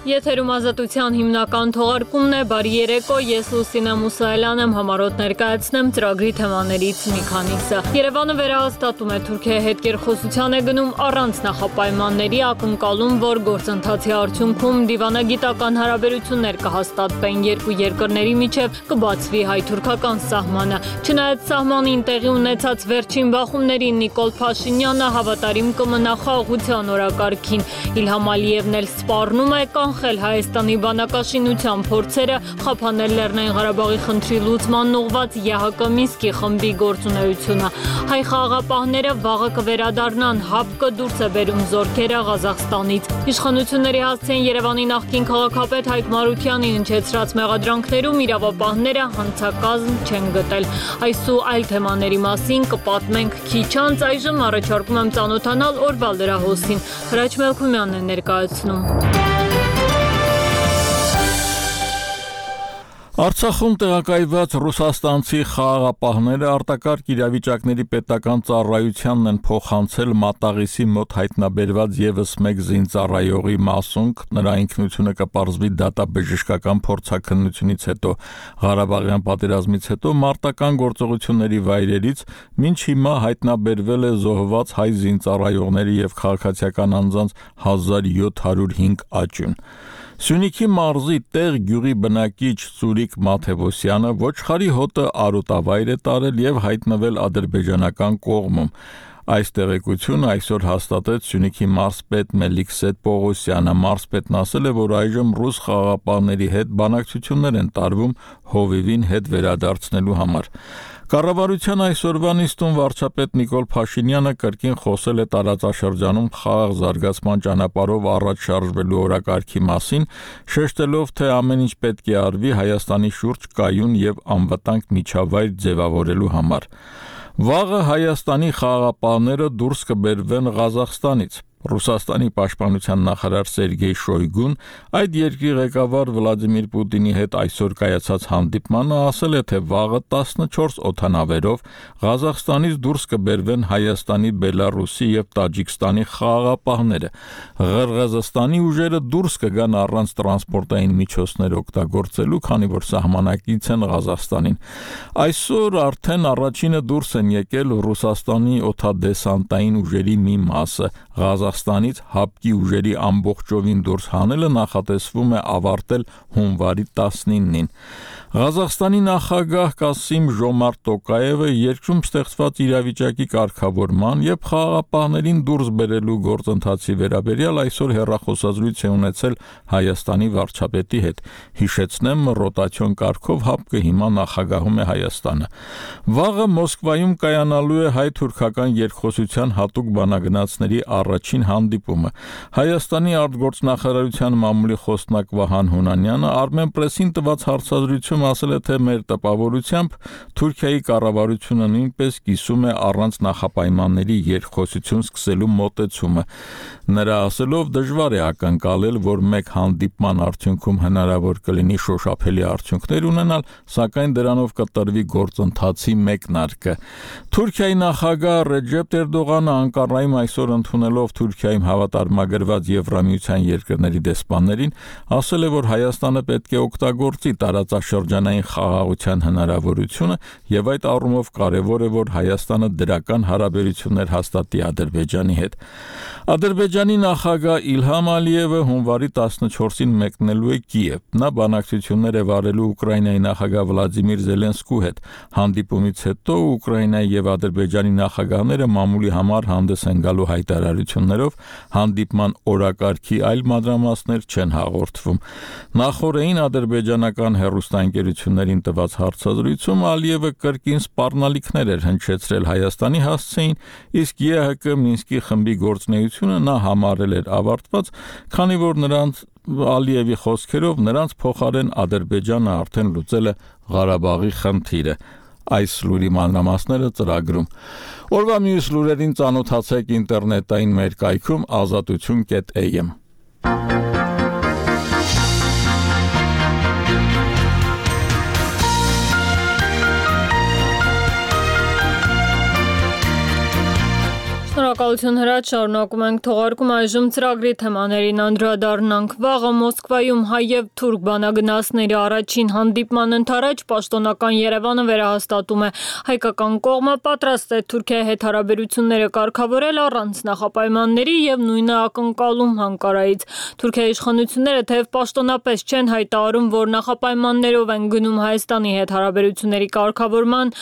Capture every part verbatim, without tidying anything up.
Եթերում ազատության հիմնական թողարկումն է, բարի երեկո, ես Լուսինե Մուսայելյան եմ, համառոտ ներկայացնեմ ծրագրի թեմաներից մի քանիսը։ Երևանը վերահաստատում է Թուրքիայի հետ կերխոսության է գնում առանց նախապայմանների, ակնկալում, որ գործընթացի արդյունքում դիվանագիտական հարաբերություններ կհաստատվեն երկու երկրների միջև, կբացվի հայ-թուրքական սահմանը։ Չնայած սահմանին տեղի ունեցած վերջին բախումներին Նիկոլ Փաշինյանը հավատարիմ կմնա խաղաղության օրակարգին։ Իլհամ Ալիևն էլ սպառնում է կանխել Հայաստանի բանակաշինության փորձերը խափանել Լեռնային Ղարաբաղի խնդրի լուծման ուղղված ԵՀԿ Մինսկի խմբի գործունեությունը։ Հայ խաղաղապահները վաղը կվերադառնան, ՀԱՊԿ-ը դուրս է բերում զորքերը Ղազախստանից։ Իշխանությունների հասցեն Երևանի նախկին քաղաքապետ Հայկ Մարությանի հնչեցրած մեղադրանքներում իրավապահները հանցակազմ չեն գտել։ Այս ու այլ թեմաների մասին կպատմենք քիչ անց, այժմ առաջարկում եմ ծանոթանալ օրվա լրահոսին։ Հրաչ Մելքումյանն է ներկայացնում։ Արցախում տեղակայված ռուսաստանցի խաղաղապահները արտակարգ իրավիճակների պետական ծառայությանն են փոխանցել Մատաղիսի մոտ հայտնաբերված ևս մեկ զինծառայողի մասունք, նրա ինքնությունը կպարզվի դատաբժշկական փորձաքննությունից հետո։ Ղարաբաղյան պատերազմից հետո մարտական գործողությունների վայրերից մինչ հիմա հայտնաբերվել է զոհված հայ զինծառայողների եւ քաղաքացիական անձանց հազար յոթ հարյուր հինգ աճյուն։ Սյունիքի մարզի Տեղ գյուղի բնակիչ Ծուրիկ Մաթևոսյանը ոչխարի հոտը արոտավայր է տարել եւ հայտնվել ադրբեջանական կողմում։ Այս տեղեկությունը այսօր հաստատեց Սյունիքի մարզպետ Մելիքսետ Պողոսյանը։ Մարզպետն ասել է, որ այժմ ռուս խաղաղապահների հետ բանակցություններ են տարվում Հովիվին հետ վերադարձնելու համար։ Կառավարության այսօրվա նիստում վարչապետ Նիկոլ Փաշինյանը կրկին խոսել է տարածաշրջանում խաղաղ զարգացման ճանապարհով առաջ շարժվելու օրակարգի մասին, շեշտելով, թե ամեն ինչ պետք է արվի Հայաստանի շուրջ կայուն եւ անվտանգ միջավայր ձևավորելու համար։ Վաղը Հայաստանի խաղաղապահները դուրս կբերվեն Ղազախստանից։ Ռուսաստանի պաշտպանության նախարար Սերգեյ Շոյգուն այդ երկրի ղեկավար Վլադիմիր Պուտինի հետ այսօր կայացած հանդիպմանը ասել է, թե վաղը տասնչորս օդանավերով Ղազախստանից դուրս կբերվեն Հայաստանի, Բելարուսի եւ Տաջիկստանի խաղաղապահները։ Ղրղըզստանի ուժերը դուրս կգան առանց տրանսպորտային միջոցներ օգտագործելու, քանի որ սահմանակից են Ղազախստանին։ Այսօր արդեն առաջինը դուրս են եկել Ռուսաստանի օդադեսանտային ուժերի մի մասը։ Ղազախստանից ՀԱՊԿ-ի ուժերի ամբողջովին դուրս հանելը նախատեսվում է ավարտել հունվարի տասնինին։ Ղազախստանի նախագահ Կասիմ Ժոմարտ Տոկաևը երկրում ստեղծված իրավիճակի կարգավորման եւ խաղաղապահներին դուրս բերելու գործընթացի վերաբերյալ այսօր հեռախոսազրույց է ունեցել Հայաստանի վարչապետի հետ։ Հիշեցնեմ, ռոտացիոն կարգով ՀԱՊԿ-ը հիմա նախագահում է Հայաստանը։ Վաղը Մոսկվայում կայանալու է հայ-թուրքական երկխոսության հատուկ բանագնացների առաջին հանդիպումը։ Հայաստանի արտգործնախարարության մամուլի խոսնակ Վահան Հունանյանը Armenpress-ին տված հարցազրույցում ասել է, թե մեր տպավորությամբ Թուրքիայի կառավարությունը նույնպես կիսում է առանց նախապայմանների երկխոսություն սկսելու մոտեցումը։ Նրա ասելով դժվար է ակնկալել, որ մեկ հանդիպման արդյունքում հնարավոր կլինի շոշափելի արդյունքներ ունենալ, սակայն դրանով կտրվի գործընթացի մեկնարկը։ Թուրքիայի նախագահ Ռեջեփ Էրդողանը Անկարայում այսօր ընդունելով Թուրքիայում հավատարմագրված Եվրամիության երկրների դեսպաններին ասել է, որ Հայաստանը պետք է օգտագործի տարածաշրջանային խաղաղության հնարավորությունը եւ այդ առումով կարեւոր է, որ Հայաստանը դրական հարաբերություններ հաստատի Ադրբեջանի հետ։ Ադրբեջանի նախագահ Իլհամ Ալիևը հունվարի տասնչորսին մեկնելու է Կիև։ Նա բանակցություններ է վարելու Ուկրաինայի նախագահ Վլադիմիր Զելենսկու հետ։ Հանդիպումից հետո Ուկրաինայի եւ Ադրբեջանի նախագահները մամուլի համար հանդես են գալու հայտարարություններով, հանդիպման օրակարգի այլ մանրամասներ չեն հաղորդվում։ Նախորդին ադրբեջանական հեռուստաընկերություններին տված հարցազրույցում Ալիևը կրկին սպառնալիքներ էր հնչեցրել Հայաստանի հասցեին, իսկ ԵՀԿ Մինսկի խմբի գործունեությունը նա համարել էր ավարտված, քանի որ նրանց Ալիևի խոսքերով նրանց փոխարեն Ադրբեջանը արդեն լուծել է Ղարաբաղի խնդիրը։ Այս լուրի մանրամասները ծրագրում։ Օրվա մյուս լուրերին ծանոթացեք ինտերնետային մեր կայքում ազատություն կետ էյ էմ։ Շնորհակալ Շնորհակալություն հրաչ, շարունակում ենք թողարկում այժմ ծրագրի թեմաներին անդրադառնանք։ Վաղը Մոսկվայում հայ եւ թուրք բանագնացների առաջին հանդիպման ընթരാճ պաշտոնական Երևանը վերահաստատում է հայկական կողմը պատրաստ է Թուրքիայի հետ հարաբերությունները կարգավորել առանց նախապայմանների եւ նույնը ակնկալում Անկարայից։ Թուրքիայի իշխանությունները թեև պաշտոնապես չեն հայտարարում, որ նախապայմաններով են գնում Հայաստանի հետ հարաբերությունների կարգավորման,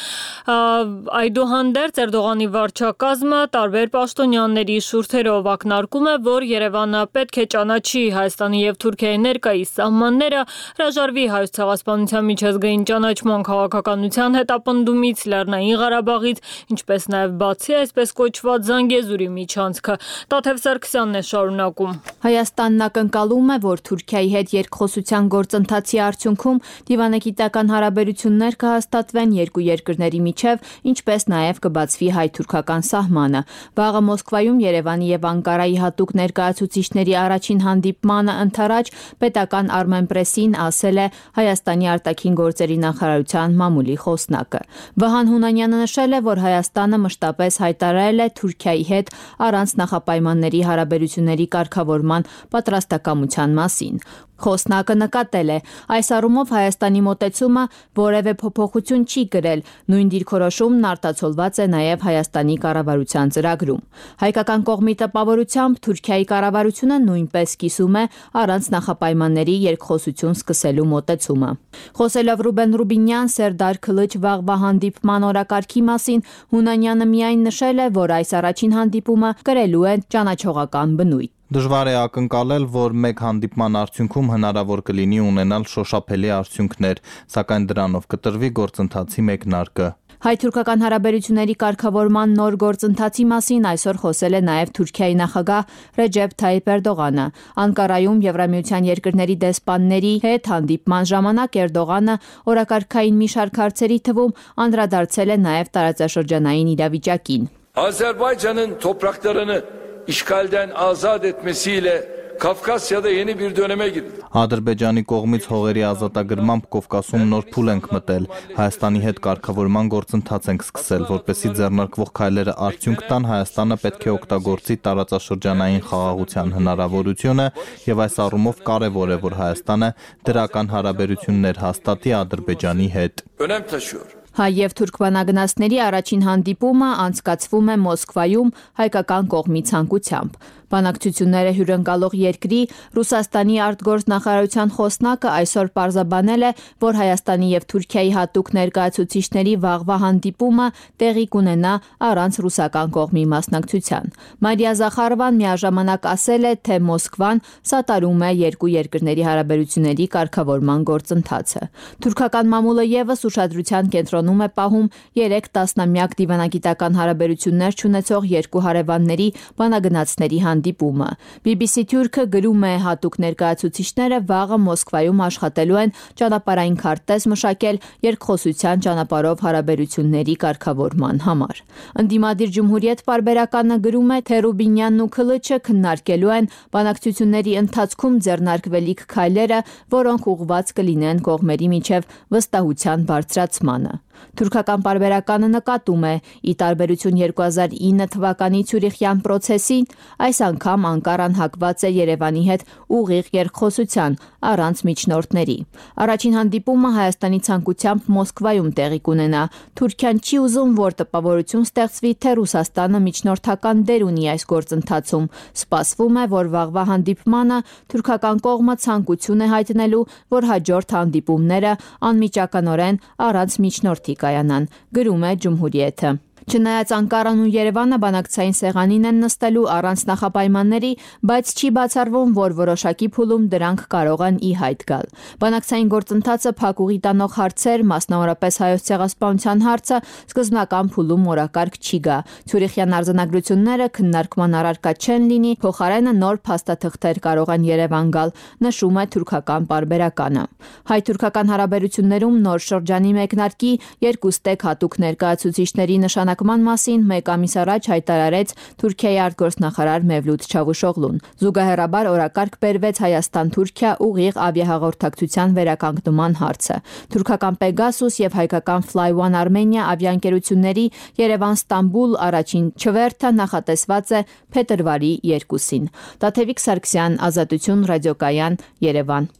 այդուհանդերձ Էրդողանի վարչակազմը տարբեր պաշտոնյաների շուրթերով ակնարկում է, որ Երևանը պետք է ճանաչի Հայաստանի եւ Թուրքիայի ներկայիս սահմանները, հրաժարվի Հայոց ցեղասպանության միջազգային ճանաչման քաղաքականության հետապնդումից, Լեռնային Ղարաբաղից, ինչպես նաեւ բացի այսպես կոչված Զանգեզուրի միջանցքը։ Տաթև Սարգսյանն է շարունակում։ Հայաստանն ակնկալում է, որ Թուրքիայի հետ երկխոսության գործընթացի արդյունքում դիվանագիտական հարաբերություններ կհաստատվեն երկու երկրների միջև, ինչպես նաեւ կբացվի հայ-թուրքական սահմանը։ Վաղը Մոսկվայում Երևանի եւ Անկարայի հատուկ ներկայացուցիչների առաջին հանդիպմանը ընթരാճ պետական Armenpress-ին ասել է Հայաստանի արտաքին գործերի նախարարության մամուլի խոսնակը։ Վահան Հունանյանը նշել է, որ Հայաստանը մշտապես հայտարարել է Թուրքիայի հետ առանց նախապայմանների հարաբերությունների կարգավորման պատրաստակամության մասին։ Խոսնակը նկատել է, այս առումով Հայաստանի մոտեցումը որևէ փոփոխություն չի կրել, նույն դիրքորոշումն արտացոլված է նաև Հայաստանի կառավարության ծրագրում։ Հայկական կողմի տպավորությամբ Թուրքիայի կառավարությունը նույնպես կիսում է առանց նախապայմանների երկխոսություն սկսելու մոտեցումը։ Խոսելով Ռուբեն Ռուբինյան Սերդար Քլիչ վաղվա հանդիպման օրակարգի մասին, Հունանյանը միայն նշել է, որ այս առաջին հանդիպումը կրելու է ճանաչողական բնույթ։ Դժվար է ակնկալել, որ մեկ հանդիպման արդյունքում հնարավոր կլինի ունենալ շոշափելի արդյունքներ, սակայն դրանով կտրվի գործընթացի մեկնարկը։ Հայ-թուրքական հարաբերությունների կարգավորման նոր գործընթացի մասին այսօր խոսել է նաև Թուրքիայի նախագահ Ռեջեփ Թայիփ Էրդողանը։ Անկարայում Եվրամիության երկրների դեսպանների հետ հանդիպման ժամանակ Էրդողանը օրակարգային մի շարք հարցերի թվում անդրադարձել է նաև տարածաշրջանային իրավիճակին։ Azerbaycan'ın topraklarını işgalden azat etmesiyle Kafkasya'da yeni bir döneme girildi. Ադրբեջանի կողմից հողերի ազատագրմամբ Կովկասում նոր փուլ ենք մտել։ Հայաստանի հետ կարգավորման գործընթաց ենք սկսել, որպեսզի ձեռնարկվող քայլերը արդյունք տան, Հայաստանը պետք է օգտագործի տարածաշրջանային խաղաղության հնարավորությունը եւ այս առումով կարեւոր է, որ Հայաստանը դրական հարաբերություններ հաստատի Ադրբեջանի հետ։ Önem taşıyor. Հայ եւ թուրք բանագնացների առաջին հանդիպումը անցկացվում է Մոսկվայում հայկական կողմի ցանկությամբ։ Բանակցությունները հյուրընկալող երկրի Ռուսաստանի արտգործնախարարության խոսնակը այսօր պարզաբանել է, որ Հայաստանի եւ Թուրքիայի հատուկ ներկայացուցիչների վաղվա հանդիպումը տեղի կունենա առանց ռուսական կողմի մասնակցության։ Մարիա Զախարովան միաժամանակ ասել է, թե Մոսկվան սատարում է երկու երկրների հարաբերությունների կարգավորման գործընթացը։ Թուրքական մամուլը եւս ուշադրության կենտրոնում է պահում երեք տասնամյակ դիվանագիտական հարաբերություններ չունեցող երկու հարևանների բանագնացների հանդիպումը։ բի բի սի Թուրքը գրում է, հատուկ ներկայացուցիչները վաղը Մոսկվայում աշխատելու են ճանապարհային քարտեզ մշակել երկխոսության ճանապարհով հարաբերությունների կարգավորման համար։ Ընդդիմադիր Ջումհուրիետ պարբերականը գրում է, թե Ռուբինյանն ու Քլիչը քննարկելու են բանակցությունների ընթացքում ձեռնարկվելիք քայլերը, որոնք ուղղված կլինեն կողմերի միջև վստահության բարձրացմանը։ Թուրքական պարբերականը նկատում է, ի տարբերություն երկու հազար ինը թվականի Ցյուրիխյան process-ին, այս անգամ Անկարան հակված է Երևանի հետ ուղիղ երկխոսության առանց միջնորդների։ Առաջին հանդիպումը Հայաստանի ցանկությամբ Մոսկվայում տեղի կունենա։ Թուրքիան չի ուզում, որ տպավորություն ստեղծվի, թե Ռուսաստանը միջնորդական դեր ունի այս գործընթացում։ Սպասվում է, որ վաղվա հանդիպմանը թուրքական կողմը ցանկություն է հայտնելու, որ հաջորդ հանդիպումները անմիջականորեն առանց միջնորդ կայանան, գրում է Ջումհուրիեթը։ Չնայած Անկարան ու Երևանը բանակցային սեղանին են նստելու առանց նախապայմանների, բայց չի բացառվում, որ որոշակի փուլում դրանք կարող են ի հայտ գալ։ Բանակցային գործընթացը փակուղի տանող հարցեր, մասնավորապես Հայոց ցեղասպանության հարցը, սկզբնական փուլում օրակարգ չի գա։ Ցյուրիխյան արձանագրությունները քննարկման առարկա չեն լինի, փոխարենը նոր փաստաթղթեր կարող են Երևան գալ, նշում է թուրքական պարբերականը։ Հայ-թուրքական հարաբերություններում նոր շրջանի մեկնարկի երկու ստեկ հատուկ ներկայացուցիչների նշանակ հրապարակման մասին մեկ ամիս առաջ հայտարարեց Թուրքիայի արտգործնախարար Մևլութ Չավուշօղլուն։ Զուգահեռաբար օրակարգ բերվեց Հայաստան-Թուրքիա ուղիղ ավիահաղորդակցության վերականգնման հարցը։ Թուրքական Pegasus եւ հայկական Fly One Armenia ավիաընկերությունների Երևան-Ստամբուլ առաջին չվերթը նախատեսված է փետրվարի երկուսին։ Տաթևիկ Սարգսյան, Ազատություն, ռադիոկայան, Երևան։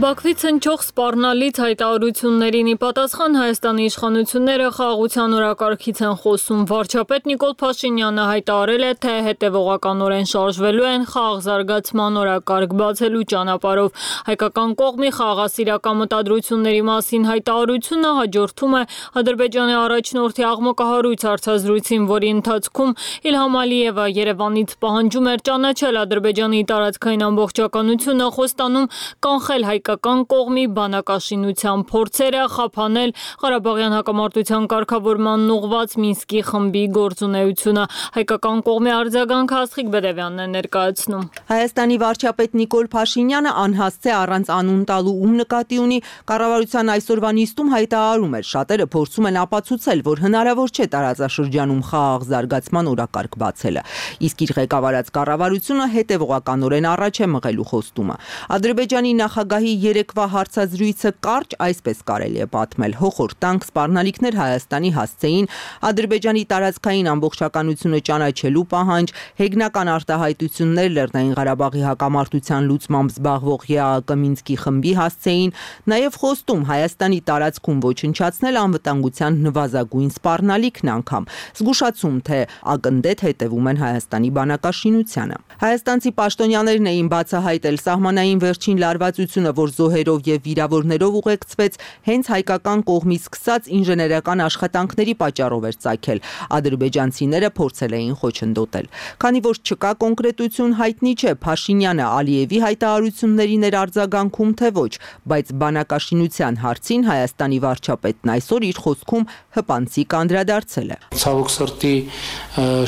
Բաքվից հնչող սպառնալից հայտարարություններին ի պատասխան Հայաստանի իշխանությունները խաղաղության օրակարգից են խոսում։ Վարչապետ Նիկոլ Փաշինյանը հայտարարել է, թե հետևողականորեն շարժվելու են խաղաղ զարգացման օրակարգ բացելու ճանապարհով։ Հայկական կողմի խաղաղասիրական մտադրությունների մասին հայտարարությունը հաջորդում է Ադրբեջանի առաջնորդի աղմկահարույց հարցազրույցին, որի ընթացքում Իլհամ Ալիևը Երևանից պահանջում էր ճանաչել Ադրբեջանի տարածքային ամբողջականությունը, խոստանում կանխել հայկական կողմի բանակաշինության փորձերը, խափանել Ղարաբաղյան հակամարտության կարգավորման ուղղված Մինսկի խմբի գործունեությունը։ Հայկական կողմի արձագանքը Աստղիկ Բեդևյանն է ներկայացնում։ Հայաստանի վարչապետ Նիկոլ Փաշինյանը անհասցե առանց անուն տալու ում նկատի ունի կառավարության այսօրվա նիստում հայտարարում էր, շատերը փորձում են ապացուցել, որ հնարավոր չէ տարածաշրջանում խաղաղ զարգացման օրակարգ բացելը, իսկ իր ղեկավարած կառավարությունը հետևողականորեն առաջ է մղելու խոստումը։ Ադրբեջանի նախագահի երեկվա հարցազրույցը կարճ այսպես կարելի է պատմել. հոխորտանք սպառնալիքներ Հայաստանի հասցեին, Ադրբեջանի տարածքային ամբողջականությունը ճանաչելու պահանջ, հեգնական արտահայտություններ Լեռնային Ղարաբաղի հակամարտության լուծմամբ զբաղվող ԵԱՀԿ Մինսկի խմբի հասցեին, նաև խոստում Հայաստանի տարածքում ոչնչացնել անվտանգության նվազագույն սպառնալիքն անգամ, զգուշացում, թե ակնդետ հետևում են Հայաստանի բանակաշինությանը։ Հայաստանցի պաշտոնյաներն էին բացահայտել սահմանային վերջին լարվածությունը, որ զոհերով եւ վիրավորներով ուղեկցվեց, հենց հայկական կողմից սկսած ինժեներական աշխատանքների պատճառով էր ծագել։ Ադրբեջանցիները փորձել էին խոչընդոտել։ Քանի որ չկա կոնկրետություն, հայտնի չէ Փաշինյանը Ալիևի հայտարարություններին էր արձագանքում, թե ոչ, բայց բանակաշինության հարցին Հայաստանի վարչապետն այսօր իր խոսքում հպանցիկ անդրադարձել է։ Ցավոք սրտի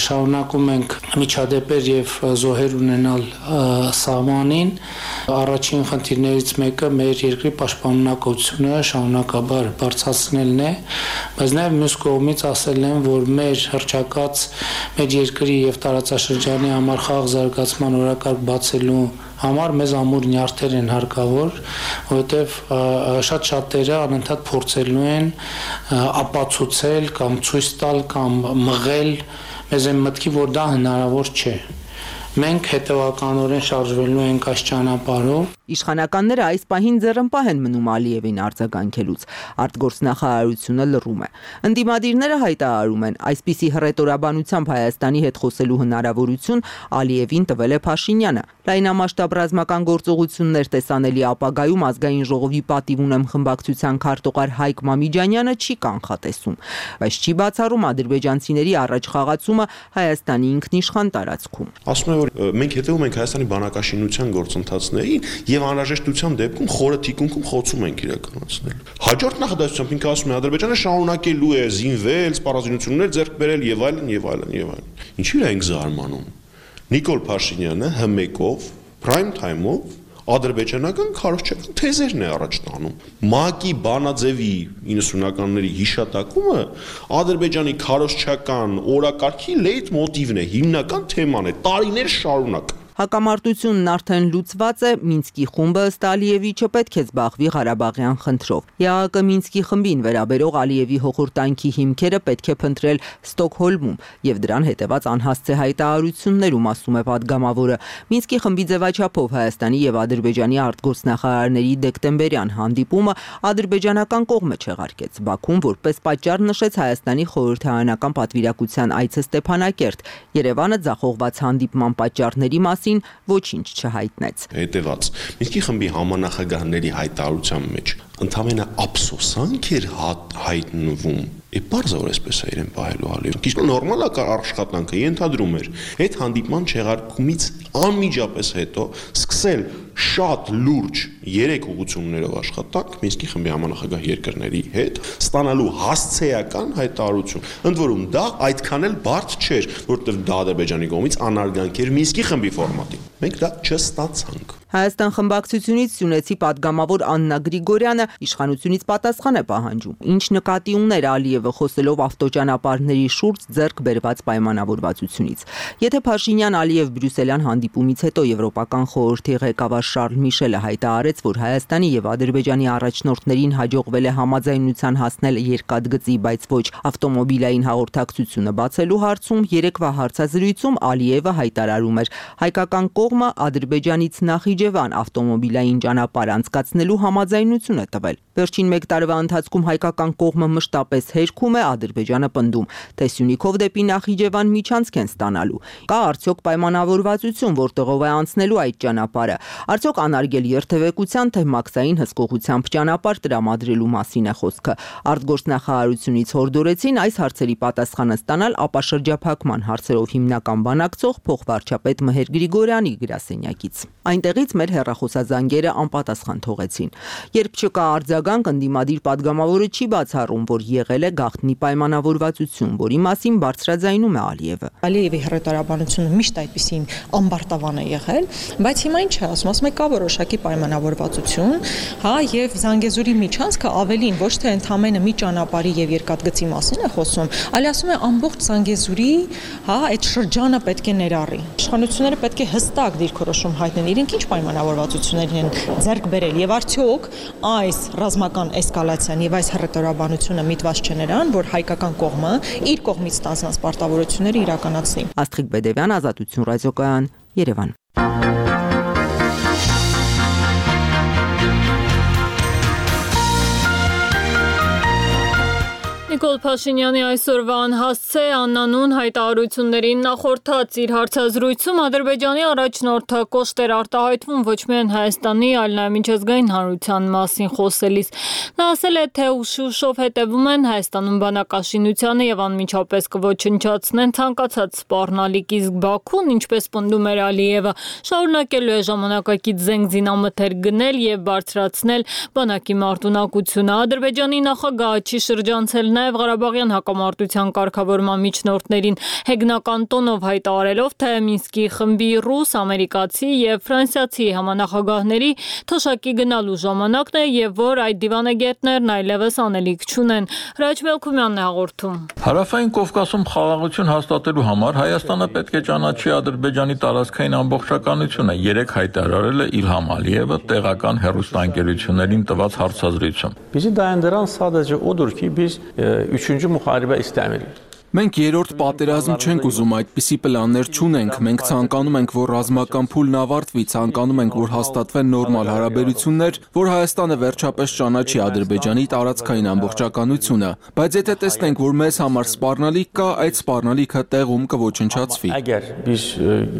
շարունակում ենք միջադեպեր եւ զոհեր ունենալ սահմանին։ Առաջին խնդիրներից մեկը մեր երկրի պաշտպանունակությունը շարունակաբար բարձրացնելն է, բայց նաև մյուս կողմից ասել են, որ մեր հռչակած մեր երկրի եւ տարածաշրջանի համար խաղաղ զարգացման օրակարգ բացելու համար մեզ ամուր նյարդեր են հարկավոր, որովհետև շատ շատերը անընդհատ փորձելու են ապացուցել կամ ցույց տալ կամ մղել մեզ այն մտքի, որ դա հնարավոր չէ։ Մենք հետևականորեն շարժվելու ենք այս ճանապարհով։ Իշխանականները այս պահին ձեռնպահ են մնում Ալիևին արձագանքելուց։ Արտգործնախարարությունը լռում է։ Ընդդիմադիրները հայտարարում են, այսպիսի հռետորաբանությամբ Հայաստանի հետ խոսելու հնարավորություն Ալիևին տվել է Փաշինյանը։ Լայնամասշտաբ ռազմական գործողություններ տեսանելի ապագայում ազգային ժողովի պատիվ ունեմ խմբակցության քարտուղար Հայկ Մամիջանյանը չի կանխատեսում, բայց չի բացառում ադրբեջանցիների առաջ խաղացումը Հայաստանի ինքնիշխան տարածքում։ Ասում եմ, որ մենք հետևում ենք Հայաստանի բանակաշինության գործընթացներին եւ անհրաժեշտության դեպքում խորը թիկունքում խոցում ենք իրականացնել։ Հաջորդ նախադասությամբ ինքը ասում է Ադրբեջանը շարունակելու է զինվել, սպառազինություններ ձեռք բերել եւ այլն եւ այլն եւ այլն։ Ինչի՞ է ենք զարմանում։ Նիկոլ Փաշինյանը հմեկով, prime time-ով ադրբեջանական քարոզչական թեզերն է առաջ տանում։ ՄԱԿ-ի բանաձևի իննսունականների հիշատակումը ադրբեջանի քարոզչական օրակարգի լեյթ մոտիվն է, հիմնական թեման է, տարիներ շարունակ։ Հակամարտությունն արդեն լուծված է, Մինսկի խումբը ըստ Ալիևի չպետք է զբաղվի Ղարաբաղյան խնդրով։ ԵԱՀԿ Մինսկի խմբին վերաբերող Ալիևի հոխորտանքի հիմքերը պետք է փնտրել Ստոկհոլմում եւ դրան հետեւած անհասցե հայտարարություններում, ասում է падգամավորը։ Մինսկի խմբի ձևաչափով Հայաստանի եւ Ադրբեջանի արտգործնախարարների դեկտեմբերյան հանդիպումը ադրբեջանական կողմը չեղարկեց։ Բաքուն որպես պատճառ նշեց Հայաստանի խորհրդարանական պատվիրակության այցը Ստեփանակերտ։ Երևանը ձախողված հանդիպման պատճառների մասին ոչինչ չհայտնեց։ Հետևած Մինսկի խմբի համանախագահների հայտարարության մեջ ընդհանրապես ափսոսանք էր հայտնվում։ Է բարձր որ այսպես է իրեն պահելու Ալիևը։ Իսկ նորմալ է աշխատանքը ենթադրում էր այդ հանդիպման չեղարկումից անմիջապես հետո սկսել շատ լուրջ երեք ուղղություններով աշխատանք Մինսկի խմբի համանախագահ երկրների հետ, ստանալու հասցեական հայտարարություն։ Ընդ որում դա այդքան էլ բարդ չէր, որովհետև դա Ադրբեջանի կողմից անարգանք էր Մինսկի խմբի ֆորմատին։ Մենք դա չստացանք։ Հայաստան խմբակցությունից Սյունեցի պատգամավոր Աննա Գրիգորյանը իշխանությունից պատասխան է պահանջում, ինչ նկատի ուներ Ալիևը խոսելով ավտոճանապարհների շուրջ ձեռք բերված պայմանավորվածությունից։ Եթե Փաշինյան-Ալիև բրյուսելյան հանդիպումից հետո Եվրոպական խորհրդի ղեկավար Շարլ Միշելը հայտարարեց, որ Հայաստանի եւ Ադրբեջանի առաջնորդներին հաջողվել է համաձայնության հասնել երկաթգծի, բայց ոչ ավտոմոբիլային հաղորդակցությունը բացելու հարցում, երեկվա հարցազրույցում Ալիևը հայտարարում էր, հայկական կողմը Ադրբեջանից նախ Իջևան ավտոմոբիլային ճանապարհ անցկացնելու համաձայնություն է տվել։ Վերջին մեկ տարվա ընթացքում հայկական կողմը մշտապես հերքում է, Ադրբեջանը պնդում, թե Սյունիքով դեպի Նախիջևան միջանցք են ստանալու։ Կա արդյոք պայմանավորվածություն, որտեղով է անցնելու այդ ճանապարհը։ Արդյոք անարգել երթևեկության, թե մաքսային հսկողությամբ ճանապարհ տրամադրելու մասին է խոսքը։ Արտգործնախարարությունից հորդորեցին այս հարցերի պատասխանը ստանալ ապա շրջափակման հարցերով հիմնական բանակցող փոխվարչապետ Մհեր Գրիգորյանի գրասենյակից։ Այնտեղից մեր հեռախոսազանգերը անպատասխան թողեցին։ Երբ չկա արձագանք, ընդդիմադիր падգամավորը չի բացառում, որ եղել է գաղտնի պայմանավորվածություն, որի մասին բարձրաձայնում է Ալիևը։ Ալիևի հռետորաբանությունը միշտ այդպիսի ամբարտավան է եղել, բայց հիմա ինչ է ասում, ասում է կա որոշակի պայմանավորվածություն, հա, եւ Զանգեզուրի միջանցքը ավելին ոչ թե ընդամենը մի ճանապարհի եւ երկաթգծի մասին է խոսում, այլ ասում է ամբողջ Զանգեզուրի, հա, այդ շրջանը պետք է ներառի։ Իշխանությունները պետք է հստակ դիրքորոշում հայտնեն, իրենք ինչ պայմանավորվածություններ են ձեռք բերել եւ արդյոք այս ռազմական էսկալացիան եւ այս հռետորաբանությունը միտված չէ նրան, որ հայկական կողմը իր կողմից ստանձնած պարտավորությունները իրականացնի։ Աստղիկ Բեդևյան, Ազատություն ռադիոկայան, Երևան։ Նիկոլ Փաշինյանի այսօրվա անհասցե անանուն հայտարարություններին նախորդած իր հարցազրույցում Ադրբեջանի առաջնորդը կոշտ էր արտահայտվում ոչ միայն Հայաստանի, այլ նաև միջազգային հանրության մասին խոսելիս։ Նա ասել է, թե ուշ-ուշով հետևում են Հայաստանում բանակաշինությանը եւ անմիջապես կոչնչացնեն ցանկացած սպառնալիք, իսկ Բաքուն, ինչպես պնդում էր Ալիևը, շարունակելու է ժամանակակից զենք զինամթեր գնել եւ բարձրացնել բանակի մարտունակությունը։ Ադրբեջանի նախագահը չի շրջանցել նաև Ղարաբաղյան հակամարտության կարգավորման միջնորդներին հեգնական տոնով հայտարարելով, թե Մինսկի խմբի ռուս, ամերիկացի եւ ֆրանսիացի համանախագահների թոշակի գնալու ժամանակն է եւ որ այդ դիվանագետներն այլևս անելիք չունեն։ Հրաչ Մելքումյանն է հաղորդում։ Հարավային Կովկասում խաղաղություն հաստատելու համար Հայաստանը պետք է ճանաչի Ադրբեջանի տարածքային ամբողջականությունը, երեք հայտարարել է Իլհամ Ալիևը տեղական հեռուստաընկերություններին տված հարցազրույցում։ Bizi dayandıran sadece odur ki biz üçüncü muharebe istemiyoruz. Մենք երրորդ պատերազմ չենք ուզում, այդպիսի պլաններ չունենք, մենք ցանկանում ենք, որ ռազմական փուլն ավարտվի, ցանկանում ենք, որ հաստատվեն նորմալ հարաբերություններ, որ Հայաստանը վերջապես ճանաչի Ադրբեջանի տարածքային ամբողջականությունը, բայց եթե տեսնենք, որ մեզ համար սպառնալիք կա, այդ սպառնալիքը տեղում կոչնչացվի։ Əgər biz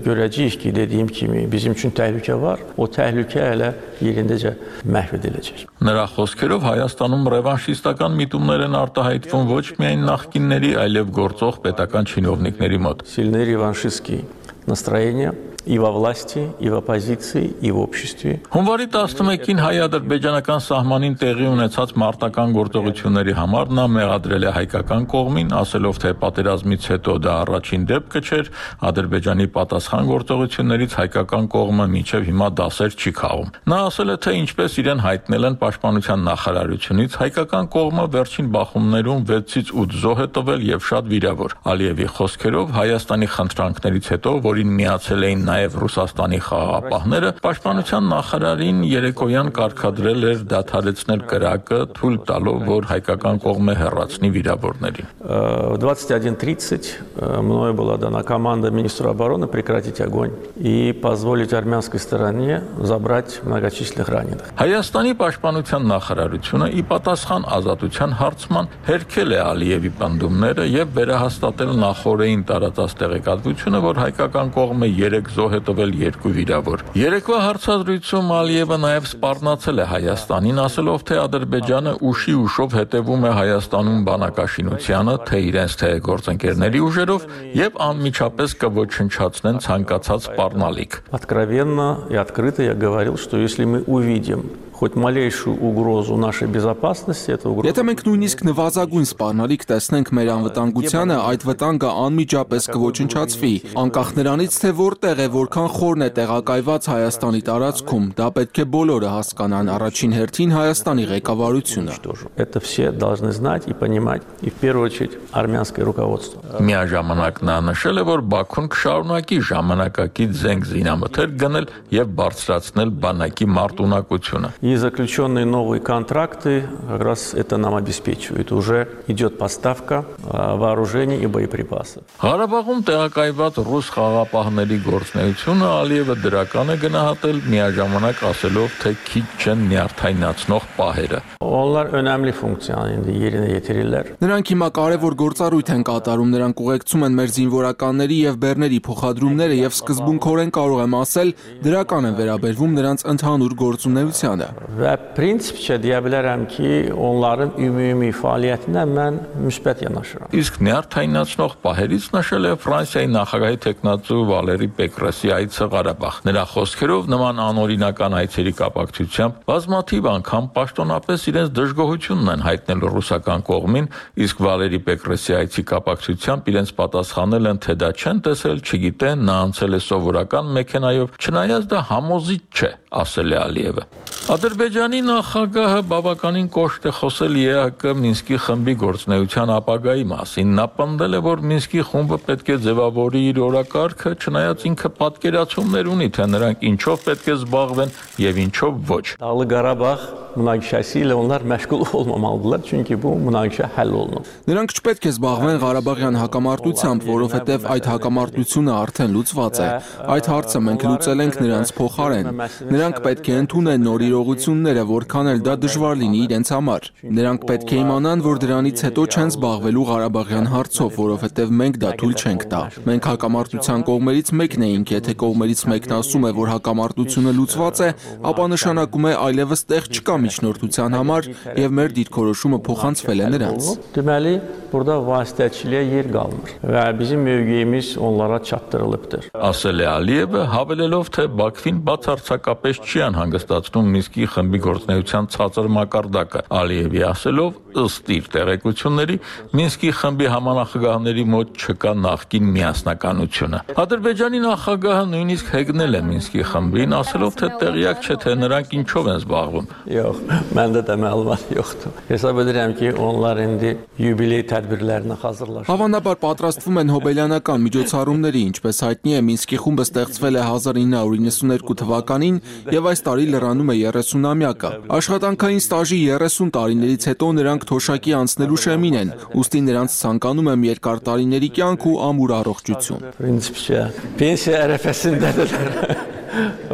görəcəyik ki, dediyim kimi bizim üçün təhlükə var, o təhlükə elə yerindəcə məhv ediləcək։ Նրա խոսքերով Հայաստանում ռևանշիստական միտումներ են արտահայտվում ոչ միայն նախկինների, այլև գործող պետական чиновникների մոտ։ Сильные реваншистские настроения и во власти, и в оппозиции, и в обществе. Հունվարի տասնմեկին հայ-ադրբեջանական սահմանին տեղի ունեցած մարտական գործողությունների համար նա մեղադրել է հայկական կողմին, ասելով, թե պատերազմից հետո դա առաջին դեպքը չէր, Ադրբեջանի պատասխան գործողություններից հայկական կողմը մինչև հիմա դասեր չի քաղում։ Նա ասել է, թե ինչպես իրեն հայտնել են պաշտպանության նախարարությունից, հայկական կողմը վերջին բախումներում վեցից ութ զոհ է տվել եւ շատ վիրավոր։ Ալիևի խոսքերով Հայաստանի խնդրանքներից հետո, որին միացել էին նաև Ռուսաստանի խաղաղապահները, պաշտպանության նախարարին երեկոյան կարգադրել էր դադարեցնել կրակը, թույլ տալով, որ հայկական կողմը հեռացնի վիրավորներին։ В двадцать один тридцать мною была дана команда министру обороны прекратить огонь и позволить армянской стороне забрать многочисленных раненых. Հայաստանի պաշտպանության նախարարությունը ի պատասխան ազատության հարցման հերքել է Ալիևի պնդումները եւ վերահաստատել նախորդին տարածած տեղեկատվությունը, որ հայկական կողմը երեք զոհ է տվել, երկու վիրավոր։ Երեկվա հարցազրույցում Ալիևը նաև սպառնացել է Հայաստանին, ասելով, թե Ադրբեջանը ուշի ուշով հետևում է Հայաստանում բանակաշինությանը, թե իրենց թե գործընկերների ուժերով եւ անմիջապես կոչնչացնեն ցանկացած սպառնալիք։ Откровенно и открыто я говорил, что если мы увидим хоть малейшую угрозу нашей безопасности, это угроза. Եթե մենք նույնիսկ նվազագույն սպառնալիք տեսնենք մեր անվտանգությանը, այդ վտանգը անմիջապես կոչնչացվի, անկախ նրանից, թե որտեղ է, որքան խորն է տեղակայված Հայաստանի տարածքում, դա պետք է բոլորը հասկանան, առաջին հերթին Հայաստանի ղեկավարությունը։ Это все должны знать и понимать, и в первую очередь армянское руководство. Միաժամանակ նա նշել է, որ Բաքուն կշարունակի ժամանակակից զենք զինամթեր գնել եւ բարձրացնել բանակի մարտունակությունը։ И заключенные новые контракты как раз это нам обеспечивают. Уже идет поставка вооружений и боеприпасов. Ղարաբաղում տեղակայված ռուս խաղապահների գործունեությունը Ալիևը դրական է գնահատել, միաժամանակ ասելով, թե քիչ չեն նյարդայնացնող պահերը։ Onlar önemli funksiyonu yerine getirirler. Նրանք հիմա կարևոր գործառույթ են կատարում, նրանք ուղեկցում են մեր զինվորականների եւ բեռների փոխադրումները եւ սկզբունքորեն կարող եմ ասել, դրական են վերաբերվում նրանց ընդհանուր գործունեությանը։ Və prinsipcə deyə bilərəm ki, onların ümumi fəaliyyətinə mən müsbət yanaşıram. Իսկ նյարդայնացնող պահերից նշել է Ֆրանսիայի նախագահի տեխնացու Վալերի Պեկրեսի այցը Ղարաբաղ։ Նրա խոսքերով նման անօրինական այցերի կապակցությամբ բազմաթիվ անգամ պաշտոնապես իրենց դժգոհությունն են հայտնել ռուսական կողմին, իսկ Վալերի Պեկրեսի այցի կապակցությամբ իրենց պատասխանել են, թե դա չեն տեսել, չգիտեն, նա անցել է սովորական մեքենայով, չնայած դա համոզիչ չէ, ասել է Ալիևը։ Ադրբեջանի նախագահը բավականին կոշտ է խոսել Է Հ Կ Մինսկի խմբի գործունեության ապագայի մասին։ Նա պնդել է, որ Մինսկի խումբը պետք է ձևավորի իր օրակարգը, չնայած ինքը պատկերացումներ ունի, թե նրանք ինչով պետք է զբաղվեն եւ ինչով ոչ։ Dağlı Qarabağ münaqişəsi ilə onlar məşğul olmamalıdırlar, çünki bu münaqişə həll olunub. Նրանք չպետք է զբաղվեն Ղարաբաղյան հակամարտությամբ, որովհետև այդ հակամարտությունը արդեն լուծված է։ Այդ հարցը մենք լուծել ենք նրանց փոխարեն։ Նրանք պետք է ընդունեն նոր իրողությունները, որքան էլ դա դժվար լինի իրենց համար։ Նրանք պետք է իմանան, որ դրանից հետո չեն զբաղվելու Ղարաբաղյան հարցով, որովհետև մենք դա թույլ չենք տա։ Մենք հակամարտության կողմերից մեկն էինք, եթե կողմերից մեկն ասում է, որ հակամարտությունը լուծված է, ապա նշանակում է այլևս տեղ չկա միջնորդության համար եւ մեր դիրքորոշումը փոխանցվել է նրանց։ Deməli, burada vasitəçiliyə yer qalmır və bizim mövqeyimiz onlara çatdırılıbdır. Ասել է Ալիևը, հավելելով, թե Բաքվին բացարձակապես չի անհանգստացնում Մինսկի խմբի գործունեության ցածր մակարդակը։ Ալիևի ասելով, ըստ իր տեղեկությունների, Մինսկի խմբի համանախագահների մոտ չկա նախկին միասնականությունը։ Ադրբեջանի նախագահը նույնիսկ հեգնել է Մինսկի խմբին, ասելով, թե տեղյակ չէ, թե նրանք ինչով են զբաղվում։ Yox, məndə də məlumat yoxdur. Hesab edirəm ki, onlar indi yubiley tədbirlərinə hazırlaşır. Հավանաբար պատրաստվում են հոբելյանական միջոցառումների, ինչպես հայտնի է, Մինսկի խումբը ստեղծվել է հազար ինը հարյուր իննսունհինգ թվականին եւ այս տարի լրանում է երեսունամյակը։ Աշխատանքային ստաժի երեսուն տարիներից հետո նրանք թոշակի անցնելու շեմին են, ուստի նրանց ցանկանում եմ երկար տարիների կյանք ու ամուր առողջություն։ Prinsipcə, pensiya ərəfəsindədirlər.